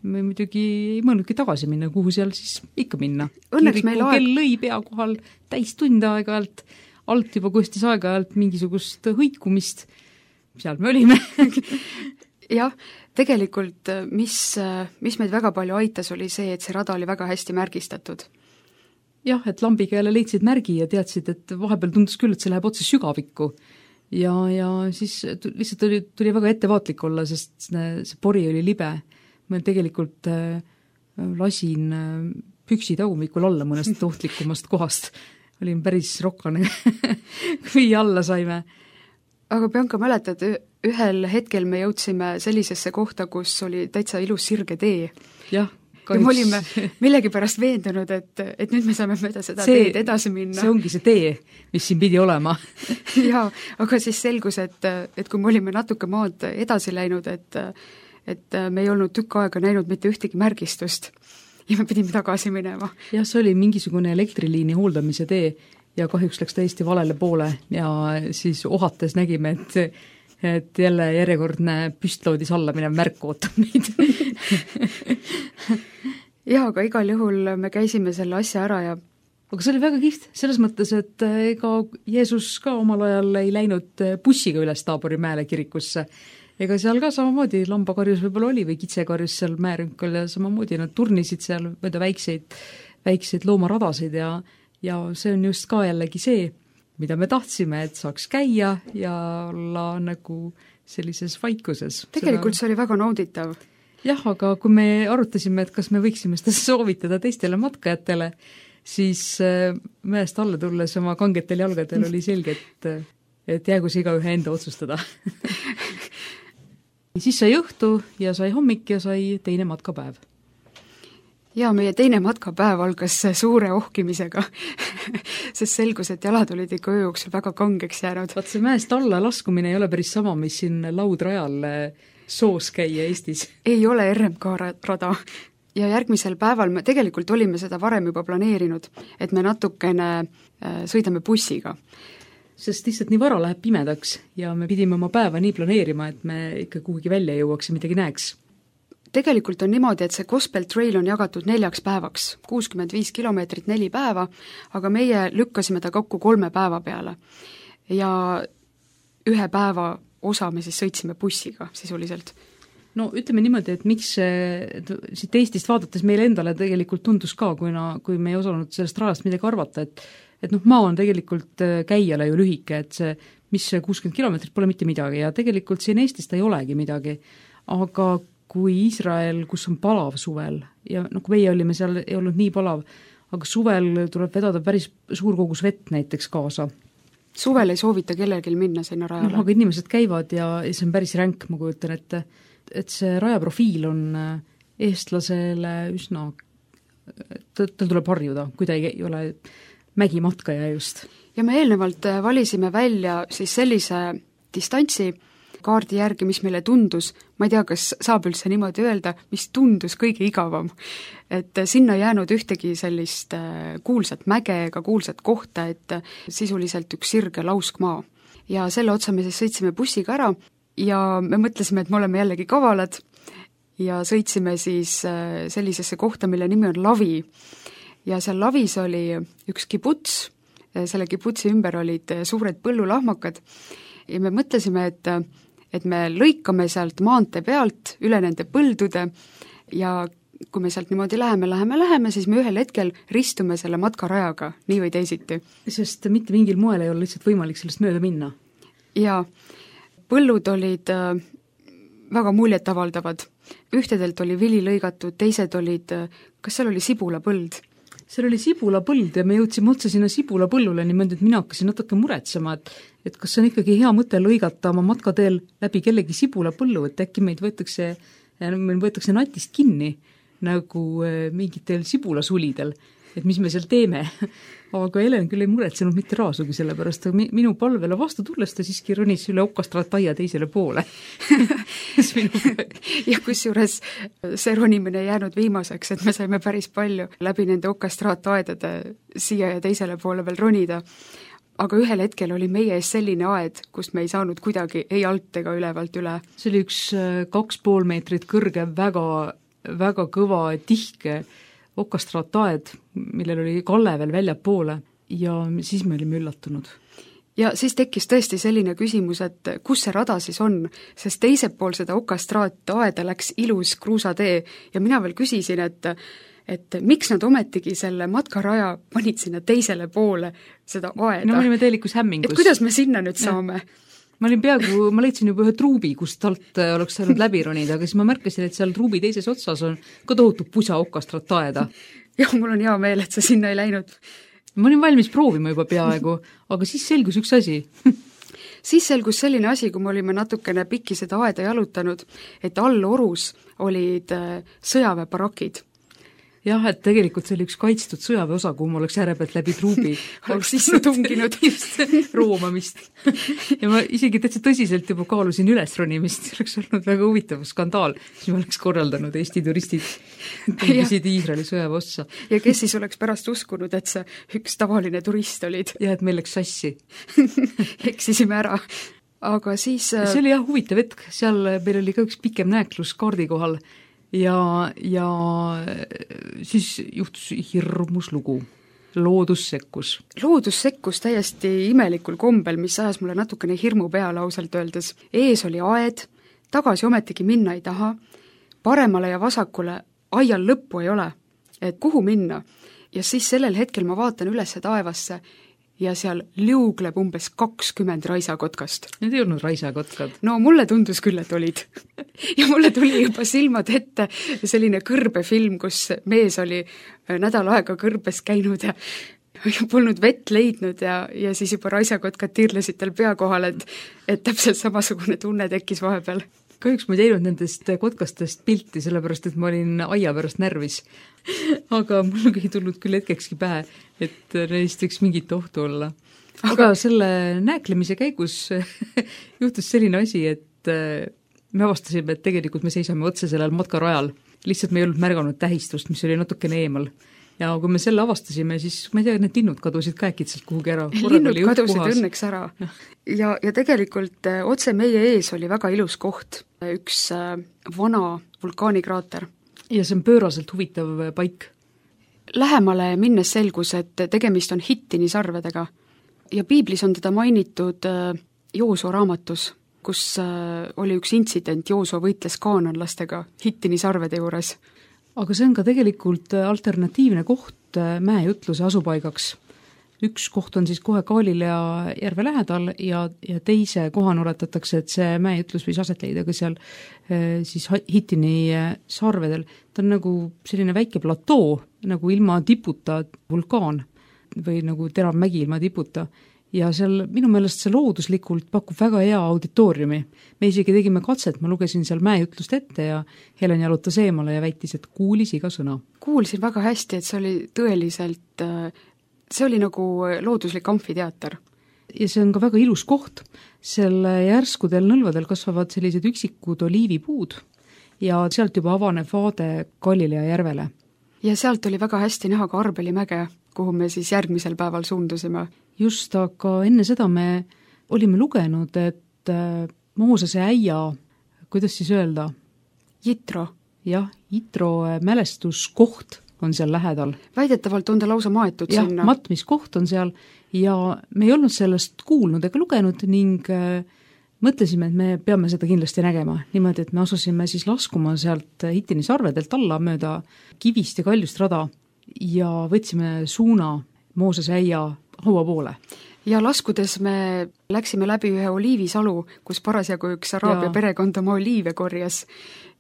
me muidugi ei mõelnudki tagasi minna, kuhu seal siis ikka minna. Kiriku kell lõi pea kohal täis tunde aeg-ajalt, alt juba kostis aeg-ajalt mingisugust hõikumist, seal me olime. Jah, tegelikult mis meid väga palju aitas, oli see, et see rada oli väga hästi märgistatud. Jah, et lambiga jälle leidsid märgi ja teadsid, et vahepeal tundus küll, et see läheb otse sügavikku. Ja siis lihtsalt tuli väga ettevaatlik olla, sest see pori oli libe. Ma tegelikult lasin püksi tagumikul alla mõnest ohtlikumast kohast. Olin päris rokkane, kui alla saime. Aga Bianca, mäletad, ühel hetkel me jõudsime sellisesse kohta, kus oli täitsa ilus sirge tee. Jah, ja me olime millegipärast veendunud, et nüüd me saame mööda seda teed edasi minna. See ongi see tee, mis siin pidi olema. Jaa, aga siis selgus, et kui me olime natuke maad edasi läinud, et me ei olnud tükk aega näinud mitte ühtegi märgistust ja me pidime tagasi minema. Jah, see oli mingisugune elektriliini hooldamise tee ja kahjuks läks täiesti valele poole ja siis ohates nägime, et jälle järjekordne püstloodis alla minev märk ootab meid. Jaa, aga igal juhul me käisime selle asja ära ja aga see oli väga kihvt, selles mõttes, et ega Jeesus ka omal ajal ei läinud bussiga üles Taabori mäele kirikusse. Ega seal ka samamoodi lambakarjus võib-olla oli või kitsekarjus seal määrünkal ja samamoodi nad turnisid seal mööda väikseid loomaradasid ja see on just ka jällegi see, mida me tahtsime, et saaks käia ja olla nagu sellises vaikuses. Tegelikult see oli väga nauditav. Jah, aga kui me arutasime, et kas me võiksime seda soovitada teistele matkajatele, siis mäest alla tulles oma kangetel jalgadel oli selge, et jäägu see igaühe enda otsustada. Siis sai õhtu ja sai hommik ja sai teine matkapäev. Jaa, meie teine matkapäev algas suure ohkimisega, sest selgus, et jalad olid ikka öö jooksul väga kangeks jäänud. Vaat see mäest alla laskumine ei ole päris sama, mis siin laudrajal soos käia Eestis. Ei ole RMK rada. Ja järgmisel päeval me tegelikult olime seda varem juba planeerinud, et me natukene sõidame bussiga. Sest lihtsalt nii vara läheb pimedaks ja me pidime oma päeva nii planeerima, et me ikka kuhugi välja jõuaks ja midagi näeks. Tegelikult on niimoodi, et see Gospel Trail on jagatud 4 päevaks, 65 kilomeetrit 4 päeva, aga meie lükkasime ta kokku 3 päeva peale. Ja 1 päeva osa me siis sõitsime bussiga sisuliselt. No ütleme niimoodi, et miks siit Eestist vaadates meile endale tegelikult tundus ka, kui me ei osanud sellest rajast midagi arvata, et maa on tegelikult käijale ju lühike, et see, mis 60 kilomeetrit pole mitte midagi ja tegelikult siin Eestis ta ei olegi midagi, aga kui Iisrael, kus on palav suvel ja kui meie olime seal, ei olnud nii palav, aga suvel tuleb vedada päris suur kogus vett näiteks kaasa. Suvel ei soovita kellelgi minna sinna rajale. Aga inimesed käivad ja see on päris ränk, ma kujutan, et see rajaprofiil on eestlasele üsna, tal tuleb harjuda, kui ta ei ole mägimatkaja just. Ja me eelnevalt valisime välja siis sellise distantsi kaardi järgi, mis meile tundus, ma ei tea, kas saab üldse niimoodi öelda, mis tundus kõige igavam. Et sinna jäänud ühtegi sellist kuulsat mäge ega kuulsat kohta, et sisuliselt üks sirge lauskmaa. Ja selle otsa me siis sõitsime bussiga ära ja me mõtlesime, et me oleme jällegi kavalad ja sõitsime siis sellisesse kohta, mille nimi on Lavi. Ja seal Lavis oli üks kibuts, selle kibutsi ümber olid suured põllulahmakad ja me mõtlesime, et me lõikame sealt maantee pealt üle nende põldude ja kui me sealt niimoodi läheme, siis me ühel hetkel ristume selle matkarajaga, nii või teisiti. Sest mitte mingil moel ei ole lihtsalt võimalik sellest mööda minna. Ja põllud olid väga muljetavaldavad. ühtedelt oli vili lõigatud, teised olid, kas seal oli sibulapõld? seal oli sibulapõld ja me jõudsime otse sinna sibulapõllule niimoodi, et mina hakkasin natuke muretsema, et kas see on ikkagi hea mõte lõigata oma matkateel läbi kellegi sibulapõllu, et äkki meil võetakse natist kinni nagu mingitel sibulasulidel, et mis me seal teeme. Aga Helen küll ei muretsenud mitte raasugi selle pärast, aga minu palvele vastu tulles ta siiski ronis üle okastraataia teisele poole. ja kusjuures see ronimine ei jäänud viimaseks, et me saime päris palju läbi nende okastraataedade siia ja teisele poole veel ronida. Aga ühel hetkel oli meie ees selline aed, kust me ei saanud kuidagi ei alt ega ülevalt üle. See oli üks 2,5 meetrit kõrge, väga kõva, tihke okastraataed, millel oli kalle veel väljapoole ja siis me olime üllatunud. Ja siis tekkis tõesti selline küsimus, et kus see rada siis on, sest teisel pool seda okastraataeda läks ilus kruusatee ja mina veel küsisin, et miks nad ometigi selle matkaraja panid sinna teisele poole seda aeda. No me olime täielikus hämmingus. Et kuidas me sinna nüüd saame? Ma leidsin juba ühe truubi, kust alt oleks saanud läbi ronida, aga siis ma märkasin, et seal truubi teises otsas on ka tohutu pusa okastraataeda. jah, mul on hea meel, et sa sinna ei läinud. Ma olin valmis proovima juba peaaegu, aga siis selgus üks asi. Siis selgus selline asi, kui me olime natukene pikki seda aeda jalutanud, et all orus olid sõjaväebarakid. Jah, et tegelikult see oli üks kaitstud sõjaväeosa, kuhu ma oleks äärepealt läbi truubi oleks sisse tunginud just roomamist. Ja ma isegi täitsa tõsiselt juba kaalusin ülesronimist, see oleks olnud väga huvitav skandaal, siis ma oleks korraldanud Eesti turistid tungisid Iisraeli sõjaväeossa. Ja kes siis oleks pärast uskunud, et see üks tavaline turist olid? Ja et meil läks sassi. Eksisime ära. Aga siis see oli jah huvitav hetk, seal meil oli ka üks pikem nääklus kaardi kohal ja siis juhtus hirmus lugu. Loodus sekkus. Loodus sekkus täiesti imelikul kombel, mis ajas mulle natukene hirmu peale ausalt öeldes. Ees oli aed, tagasi ometigi minna ei taha, paremale ja vasakule aial lõppu ei ole, et kuhu minna. Ja siis sellel hetkel ma vaatan üles taevasse ja seal liugleb umbes 20 raisakotkast. Need ei olnud raisakotkad. No mulle tundus küll, et olid. Ja mulle tuli juba silmad ette selline kõrbefilm, kus mees oli nädal aega kõrbes käinud ja polnud vett leidnud ja siis juba raisakotkad tirlesid tal pea kohal, et täpselt samasugune tunne tekkis vahepeal. Kahjuks ma ei teinud nendest kotkastest pilti, sellepärast et ma olin aia pärast närvis. Aga mul ei tulnud küll hetkekski pähe, et neist võiks mingit ohtu olla. Aga selle nääklemise käigus juhtus selline asi, et me avastasime, et tegelikult me seisame otse sellel matkarajal. Lihtsalt me ei olnud märganud tähistust, mis oli natukene eemal. Ja kui me selle avastasime, siis ma ei tea, need linnud kadusid ka äkitselt kuhugi ära. Linnud kadusid õnneks ära. Ja tegelikult otse meie ees oli väga ilus koht, üks vana vulkaanikraater. Ja see on pööraselt huvitav paik. Lähemale minnes selgus, et tegemist on Hittini sarvedega. Ja piiblis on teda mainitud Joosua raamatus, kus oli üks intsident, Joosua võitles kaananlastega Hittini sarvede juures. Aga see on ka tegelikult alternatiivne koht mäejutluse asupaigaks. Üks koht on siis kohe Galilea järve lähedal ja teise kohana oletatakse, et see mäejutlus võis aset leida ka seal siis Hittini sarvedel. Ta on nagu selline väike platoo, nagu ilma tiputa vulkaan või nagu terav mägi ilma tiputa. Ja seal minu meelest see looduslikult pakub väga hea auditooriumi. Me isegi tegime katset, ma lugesin seal mäejutlust ette ja Helen jalutas eemale ja väitis, et kuulis iga sõna. Kuulsin väga hästi, et see oli tõeliselt, see oli nagu looduslik amfiteater. Ja see on ka väga ilus koht. Selle järskudel nõlvadel kasvavad sellised üksikud oliivipuud ja sealt juba avaneb vaade Galilea järvele. Ja sealt oli väga hästi näha ka Arbeli mäge, kuhu me siis järgmisel päeval suundusime. Just, aga enne seda me olime lugenud, et Moosese äia, kuidas siis öelda? Jitro. Jah, Jitro mälestuskoht on seal lähedal. Väidetavalt on ta lausa maetud sinna. Jah, matmiskoht on seal ja me ei olnud sellest kuulnud ega lugenud ning mõtlesime, et me peame seda kindlasti nägema. Niimoodi, et me asusime siis laskuma sealt Hittini sarvedelt alla mööda kivist ja kaljust rada ja võtsime suuna Moosese äia haua poole. ja laskudes me läksime läbi ühe oliivisalu, kus parasjagu üks araabia perekond oma oliive korjas.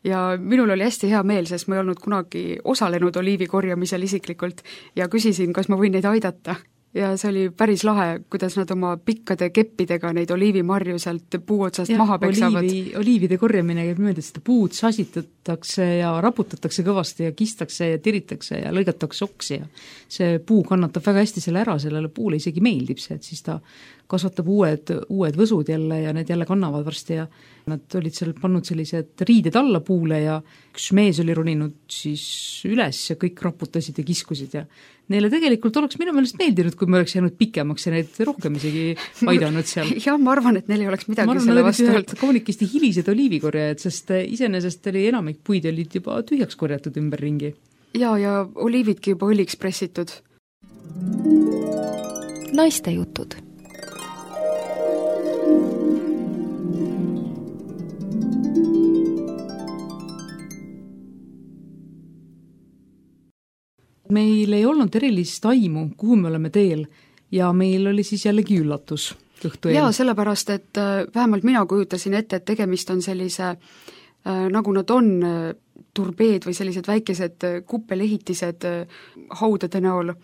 Ja minul oli hästi hea meel, sest ma ei olnud kunagi osalenud oliivi korjamisel isiklikult ja küsisin, kas ma võin neid aidata. Ja see oli päris lahe, kuidas nad oma pikkade keppidega neid oliivimarju sealt puu otsast maha peksavad. Oliivide korjamine käib niimoodi, et seda puud sasitatakse ja raputatakse kõvasti ja kistakse ja tiritakse ja lõigatakse oksi ja see puu kannatab väga hästi selle ära, sellele puule isegi meeldib see, et siis ta kasvatab uued võsud jälle ja need jälle kannavad varsti ja nad olid seal pannud sellised riided alla puule ja üks mees oli roninud siis üles ja kõik raputasid ja kiskusid ja neile tegelikult oleks minu meelest meeldinud, kui me oleks jäänud pikemaks ja neid rohkem isegi aidanud seal. Jah, ma arvan, et neil ei oleks midagi selle vastu olnud. Kaunikesti hilised oliivikorjajad, sest iseenesest oli enamik puid olid juba tühjaks korjatud ümberringi. Ja oliividki juba õliks pressitud. Naiste jutud. Meil ei olnud erilist aimu, kuhu me oleme teel ja meil oli siis jällegi üllatus õhtu eel. Jaa, sellepärast, et vähemalt mina kujutasin ette, et tegemist on sellise, nagu nad on, turbeed või sellised väikesed kuppelehitised haudade näol.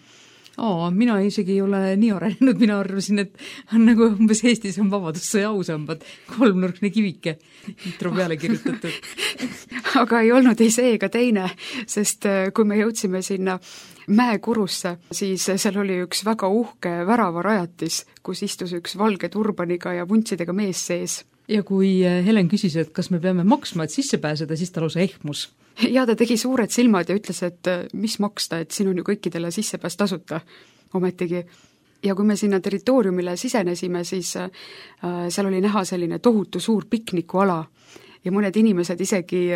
Mina isegi ei ole nii arenenud, mina arvasin, et on nagu umbes Eestis on vabadussõja ausambad, 3-nurkne kivike, intro peale kirjutatud. Aga ei olnud ei see ega teine, sest kui me jõudsime sinna mäekurusse, siis seal oli üks väga uhke väravarajatis, kus istus üks valge turbaniga ja vuntsidega mees sees. Ja kui Helen küsis, et kas me peame maksma, et sisse pääseda, siis ta lausa ehmus. Ja ta tegi suured silmad ja ütles, et mis maksta, et siin on ju kõikidele sissepääs tasuta ometigi. Ja kui me sinna territooriumile sisenesime, siis seal oli näha selline tohutu suur piknikuala ja mõned inimesed isegi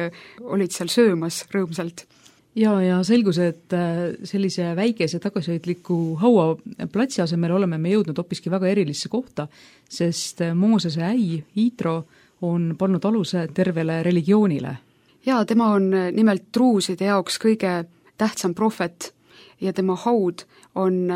olid seal söömas rõõmsalt. Ja selgus, et sellise väikese tagasihoidliku hauaplatsi asemel oleme me jõudnud hoopiski väga erilisse kohta, sest Moosese äi, Iitro, on pannud aluse tervele religioonile. Ja tema on nimelt truuside jaoks kõige tähtsam prohvet ja tema haud on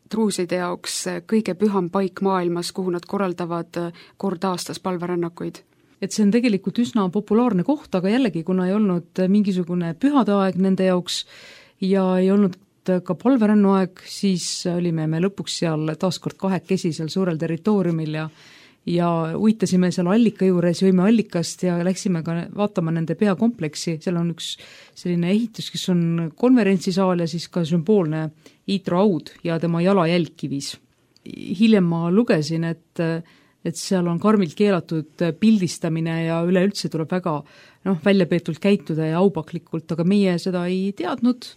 truuside jaoks kõige püham paik maailmas, kuhu nad korraldavad kord aastas palverännakuid. Et see on tegelikult üsna populaarne koht, aga jällegi, kuna ei olnud mingisugune pühade aeg nende jaoks ja ei olnud ka palverännuaeg, siis olime me lõpuks seal taaskord kahekesi seal suurel territooriumil ja uitasime seal allika juures, jõime allikast ja läksime ka vaatama nende peakompleksi, seal on üks selline ehitus, kes on konverentsisaal ja siis ka sümboolne Iitro haud ja tema jalajälg kivis. Hiljem ma lugesin, et seal on karmilt keelatud pildistamine ja üleüldse tuleb väga väljapeetult käituda ja aupaklikult, aga meie seda ei teadnud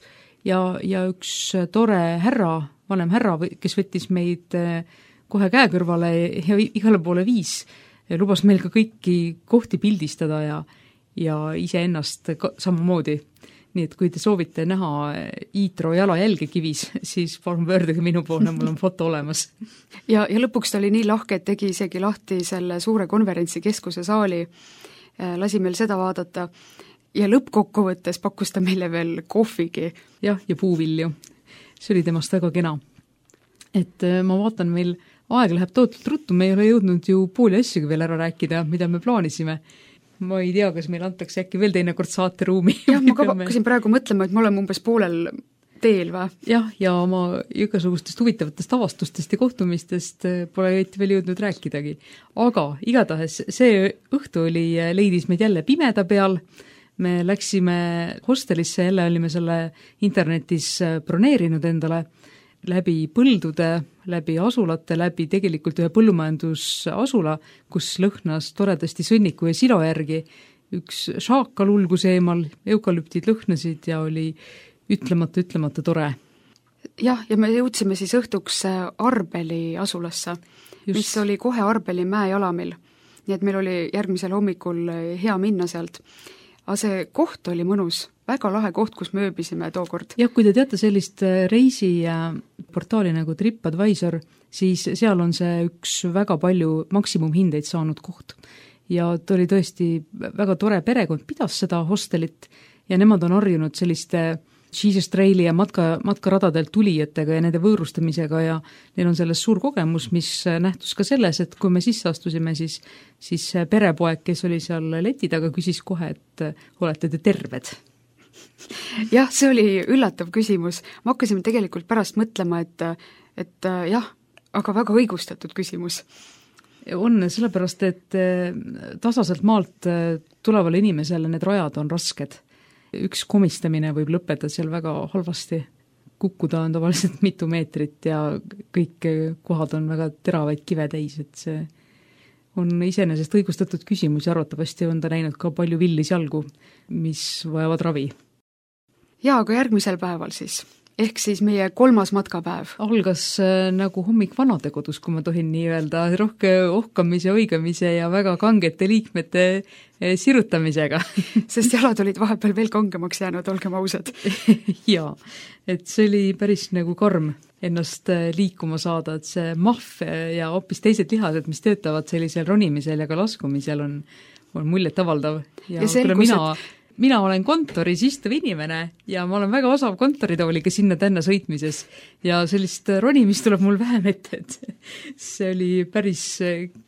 ja üks tore härra, vanem härra, kes võttis meid kohe käe kõrvale ja igale poole viis, lubas meil ka kõiki kohti pildistada ja iseennast samamoodi. Nii et kui te soovite näha Iitro jalajälge kivis, siis palun pöörduge minu poole, mul on foto olemas. Ja lõpuks ta oli nii lahke, et tegi isegi lahti selle suure konverentsikeskuse saali, lasi meil seda vaadata ja lõppkokkuvõttes pakkus ta meile veel kohvigi. Ja puuvilju. See oli temast väga kena. Et ma vaatan, meil aeg läheb tootult ruttu, me ei ole jõudnud ju pooli asjagi veel ära rääkida, mida me plaanisime. Ma ei tea, kas meil antakse äkki veel teinekord saateruumi. Jah, ma hakkasin praegu mõtlema, et me oleme umbes poolel teel või? Jah, ja oma igasugustest huvitavatest avastustest ja kohtumistest pole veel jõudnud rääkidagi. Aga igatahes see õhtu leidis meid jälle pimeda peal, me läksime hostelisse, jälle olime selle internetis broneerinud endale läbi põldude, läbi asulate, läbi tegelikult ühe põllumajandusasula, kus lõhnas toredasti sõnniku ja silo järgi. Üks šaakal ulgus eemal, eukalüptid lõhnasid ja oli ütlemata tore. Jah, ja me jõudsime siis õhtuks Arbeli asulasse, mis oli kohe Arbeli mäejalamil. Nii et meil oli järgmisel hommikul hea minna sealt. Aga see koht oli mõnus, väga lahe koht, kus me ööbisime tookord. Jah, kui te teate sellist reisiportaali nagu TripAdvisor, siis seal on see üks väga palju maksimumhindeid saanud koht. Ja ta oli tõesti väga tore perekond, pidas seda hostelit ja nemad on harjunud selliste Jesus Traili ja matkaradadelt tulijatega ja nende võõrustamisega ja neil on selles suur kogemus, mis nähtus ka selles, et kui me sisse astusime, siis perepoeg, kes oli seal leti taga, küsis kohe, et olete te terved? Jah, see oli üllatav küsimus. Ma hakkasime tegelikult pärast mõtlema, et jah, aga väga õigustatud küsimus. On, sellepärast, et tasaselt maalt tulevale inimesele need rajad on rasked. Üks komistamine võib lõppeda seal väga halvasti. Kukkuda on tavaliselt mitu meetrit ja kõik kohad on väga teravaid kive täis, et see on iseenesest õigustatud küsimus ja arvatavasti on ta näinud ka palju villis jalgu, mis vajavad ravi. Jaa, aga järgmisel päeval siis, ehk siis meie 3. matkapäev. Algas nagu hommik vanadekodus, kui ma tohin nii öelda, rohke ohkamise, oigamise ja väga kangete liikmete sirutamisega. Sest jalad olid vahepeal veel kangemaks jäänud, olgem ausad. Jaa, et see oli päris nagu karm ennast liikuma saada, et see mahv ja hoopis teised lihased, mis töötavad sellisel ronimisel ja ka laskumisel on muljet avaldav. Ja selgus, mina olen kontoris istuv inimene ja ma olen väga osav kontoritooliga sinna-tänna sõitmises ja sellist ronimist tuleb mul vähem ette, et see oli päris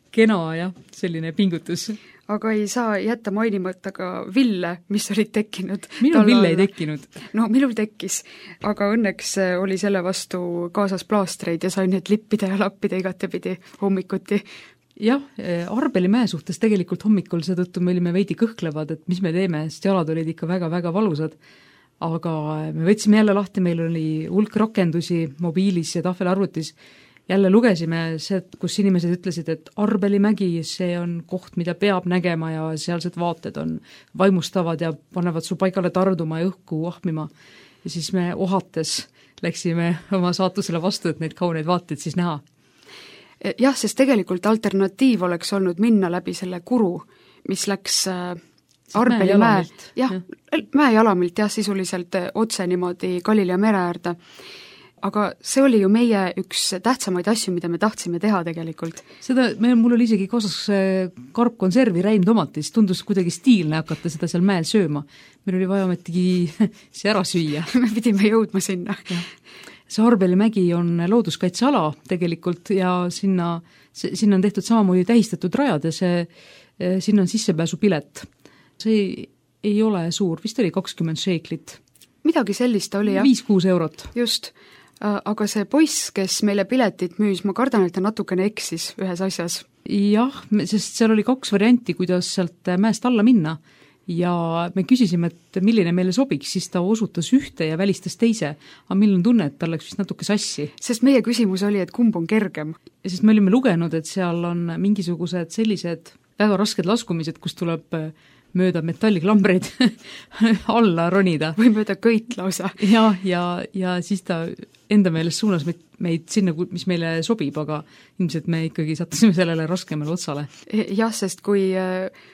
kena ja selline pingutus. Aga ei saa jätta mainimata ka ville, mis olid tekkinud. Minul ville ei tekkinud. No minul tekkis, aga õnneks oli selle vastu kaasas plaastreid ja sain need lippida ja lappida igatepidi hommikuti. Jah, Arbeli mäe suhtes tegelikult hommikul seetõttu me olime veidi kõhklevad, et mis me teeme, sest jalad olid ikka väga-väga valusad. Aga me võtsime jälle lahti, meil oli hulk rakendusi mobiilis ja tahvelarvutis. Jälle lugesime see, kus inimesed ütlesid, et Arbeli mägi, see on koht, mida peab nägema ja sealsed vaated on vaimustavad ja panevad su paigale tarduma ja õhku ahmima. Ja siis me ohates läksime oma saatusele vastu, et neid kauneid vaateid siis näha. Jah, sest tegelikult alternatiiv oleks olnud minna läbi selle kuru, mis läks Arbeli mäejalamilt, jah, sisuliselt otse niimoodi Galilea mere äärde. Aga see oli ju meie üks tähtsamaid asju, mida me tahtsime teha tegelikult. Mul oli isegi kaasas karpkonservi räimtomatis, tundus kuidagi stiilne hakata seda seal mäel sööma. Meil oli vaja ometigi see ära süüa. Me pidime jõudma sinna. See Arbeli mägi on looduskaitseala tegelikult ja sinna on tehtud samamoodi tähistatud rajad ja sinna on sissepääsupilet. See ei ole suur, vist oli 20 šeiklit. Midagi sellist oli, jah. 5-6 eurot. Just, aga see poiss, kes meile piletit müüs, ma kardan, et ta natukene eksis ühes asjas. Jah, sest seal oli 2 varianti, kuidas sealt mäest alla minna. Ja me küsisime, et milline meile sobiks, siis ta osutas ühte ja välistas teise. Aga meil on tunne, et tal läks vist natuke sassi. Sest meie küsimus oli, et kumb on kergem. Ja sest me olime lugenud, et seal on mingisugused sellised väga rasked laskumised, kus tuleb mööda metalliklambreid alla ronida. Või mööda kõit lausa. Ja siis ta enda meelest suunas meid sinna, mis meile sobib, aga ilmselt me ikkagi sattusime sellele raskemale otsale. Jah, sest kui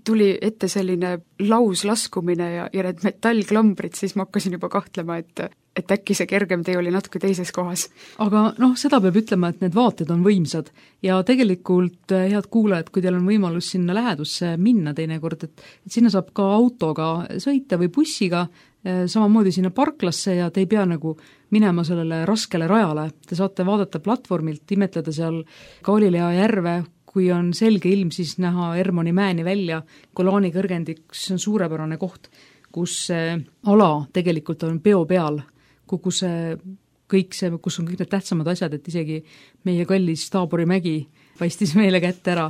tuli ette selline lauslaskumine ja need metallklambrid, siis ma hakkasin juba kahtlema, et äkki see kergem tee oli natuke teises kohas. Aga seda peab ütlema, et need vaated on võimsad ja tegelikult, head kuulajad, kui teil on võimalus sinna lähedusse minna teinekord, et sinna saab ka autoga sõita või bussiga, samamoodi sinna parklasse ja te ei pea nagu minema sellele raskele rajale. Te saate vaadata platvormilt, imetleda seal Galilea järve, kui on selge ilm, siis näha Hermoni mäeni välja, Golani kõrgendik, see on suurepärane koht, kus ala tegelikult on peo peal, kus on kõik need tähtsamad asjad, et isegi meie kallis Taabori mägi paistis meile kätte ära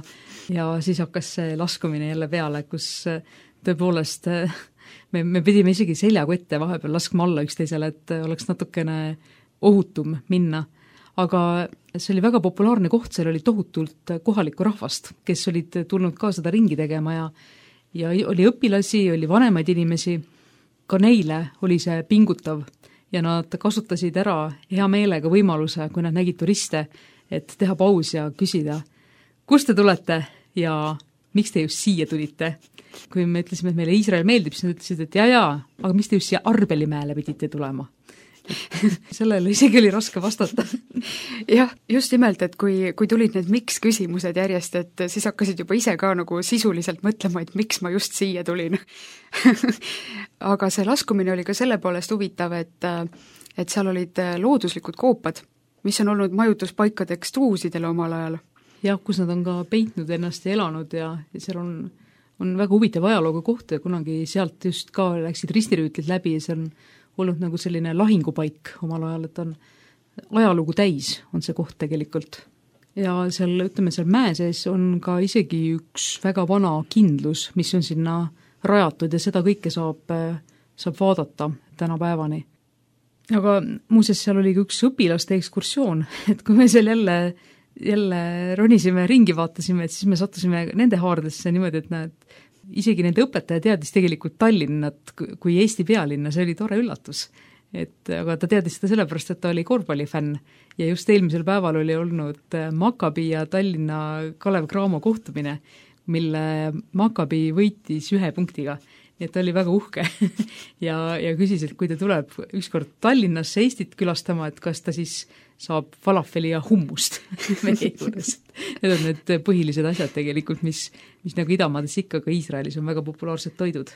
ja siis hakkas see laskumine jälle peale, kus tõepoolest me pidime isegi seljakotte vahepeal laskma alla üksteisele, et oleks natukene ohutum minna. Aga see oli väga populaarne koht, seal oli tohutult kohalikku rahvast, kes olid tulnud ka seda ringi tegema ja oli õpilasi, oli vanemaid inimesi, ka neile oli see pingutav ja nad kasutasid ära hea meelega võimaluse, kui nad nägid turiste, et teha paus ja küsida, kust te tulete ja miks te just siia tulite? Kui me ütlesime, et meile Iisrael meeldib, siis nad ütlesid, et jaa, aga miks te just siia Arbeli mäele pidite tulema? sellele isegi oli raske vastata. Jah, just nimelt, et kui tulid need miks küsimused järjest, et siis hakkasid juba ise ka nagu sisuliselt mõtlema, et miks ma just siia tulin. Aga see laskumine oli ka selle poolest huvitav, et seal olid looduslikud koopad, mis on olnud majutuspaikadeks truusidele omal ajal. Jah, kus nad on ka peitnud ennast ja elanud ja seal on väga huvitav ajalooga koht ja kunagi sealt just ka läksid ristirüütlid läbi ja see on olnud nagu selline lahingupaik omal ajal, et on ajalugu täis, on see koht tegelikult. Ja seal, ütleme, seal mäe sees on ka isegi üks väga vana kindlus, mis on sinna rajatud ja seda kõike saab vaadata tänapäevani. Aga muuseas, seal oli üks õpilaste ekskursioon, et kui me seal jälle ronisime, ringi vaatasime, et siis me sattusime nende haardesse niimoodi, et näed, isegi nende õpetaja teadis tegelikult Tallinnat kui Eesti pealinna, see oli tore üllatus. Aga ta teadis seda sellepärast, et ta oli korvpallifänn ja just eelmisel päeval oli olnud Maccabi ja Tallinna Kalev Cramo kohtumine, mille Maccabi võitis 1 punktiga. Nii et ta oli väga uhke ja küsis, et kui ta tuleb ükskord Tallinnasse Eestit külastama, et kas ta siis saab falafeli ja hummust meie juures. Need on need põhilised asjad tegelikult, mis nagu idamaades ikka ka Iisraelis on väga populaarsed toidud.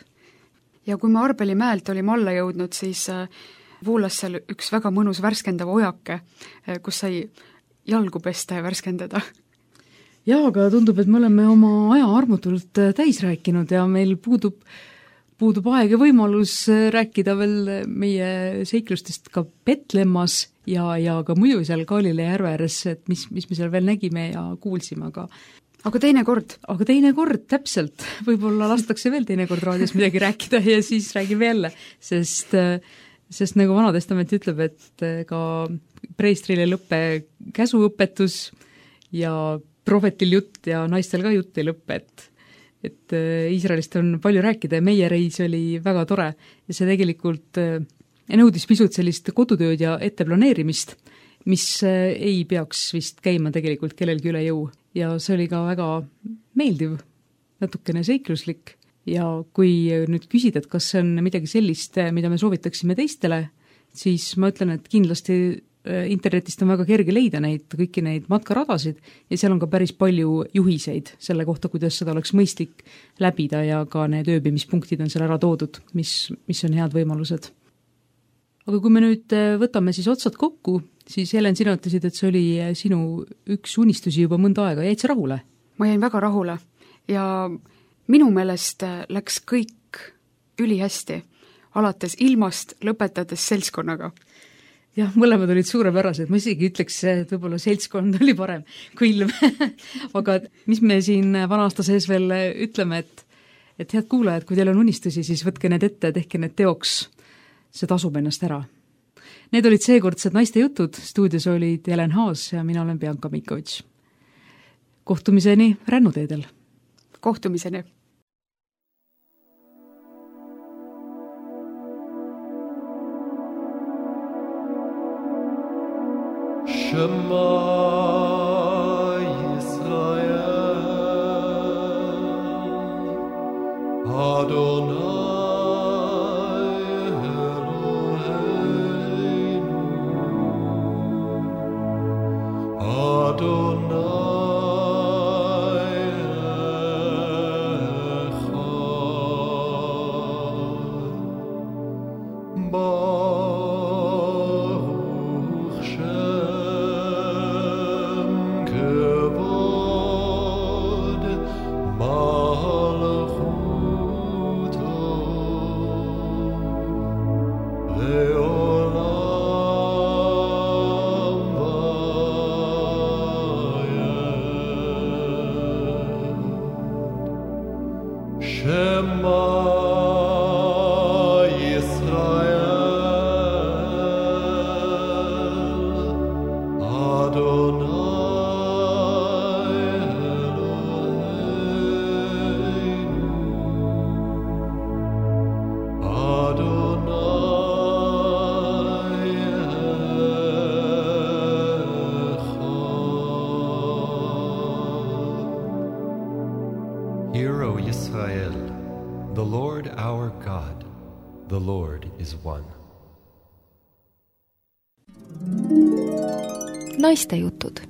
Ja kui me Arbeli mäelt olime alla jõudnud, siis voolas seal üks väga mõnus värskendav ojake, kus sai jalgu pesta ja värskendada. Jaa, aga tundub, et me oleme oma aja armutult täis rääkinud ja meil puudub aeg ja võimalus rääkida veel meie seiklustest ka Petlemmas ja ka muidu seal Galilee järve ääres, et mis me seal veel nägime ja kuulsime, aga teine kord, täpselt, võib-olla lastakse veel teine kord raadios midagi rääkida ja siis räägime jälle, sest nagu Vana Testament ütleb, et ka preestrile ei lõppe käsuõpetus ja prohvetil jutt ja naistel ka jutt ei lõppe, et Iisraelist on palju rääkida ja meie reis oli väga tore ja see tegelikult nõudis pisut sellist kodutööd ja etteplaneerimist, mis ei peaks vist käima tegelikult kellelgi üle jõu ja see oli ka väga meeldiv, natukene seikluslik ja kui nüüd küsida, et kas see on midagi sellist, mida me soovitaksime teistele, siis ma ütlen, et kindlasti internetist on väga kerge leida kõiki neid matkaradasid ja seal on ka päris palju juhiseid selle kohta, kuidas seda oleks mõistlik läbida ja ka need ööbimispunktid on seal ära toodud, mis on head võimalused. Aga kui me nüüd võtame siis otsad kokku, siis Helen, sina ütlesid, et see oli sinu üks unistusi juba mõnda aega, jäid sa rahule? Ma jäin väga rahule ja minu meelest läks kõik ülihästi, alates ilmast, lõpetades seltskonnaga. Jah, mõlemad olid suurepärased, ma isegi ütleks, et võib-olla seltskond oli parem kui ilm. Aga mis me siin vana aasta sees veel ütleme, et head kuulajad, kui teil on unistusi, siis võtke need ette, tehke need teoks, see tasub ennast ära. Need olid seekordsed naiste jutud, stuudios olid Helen Haas ja mina olen Bianca Mikovitš. Kohtumiseni rännuteedel. Kohtumiseni. Shema Yisrael Adonai Eloheinu Adonai Echad Baruch Shem Kevod Malchuto Leolam Vayed Shema Hear, O Yisrael, the Lord our God, the Lord is one. Naistejutud.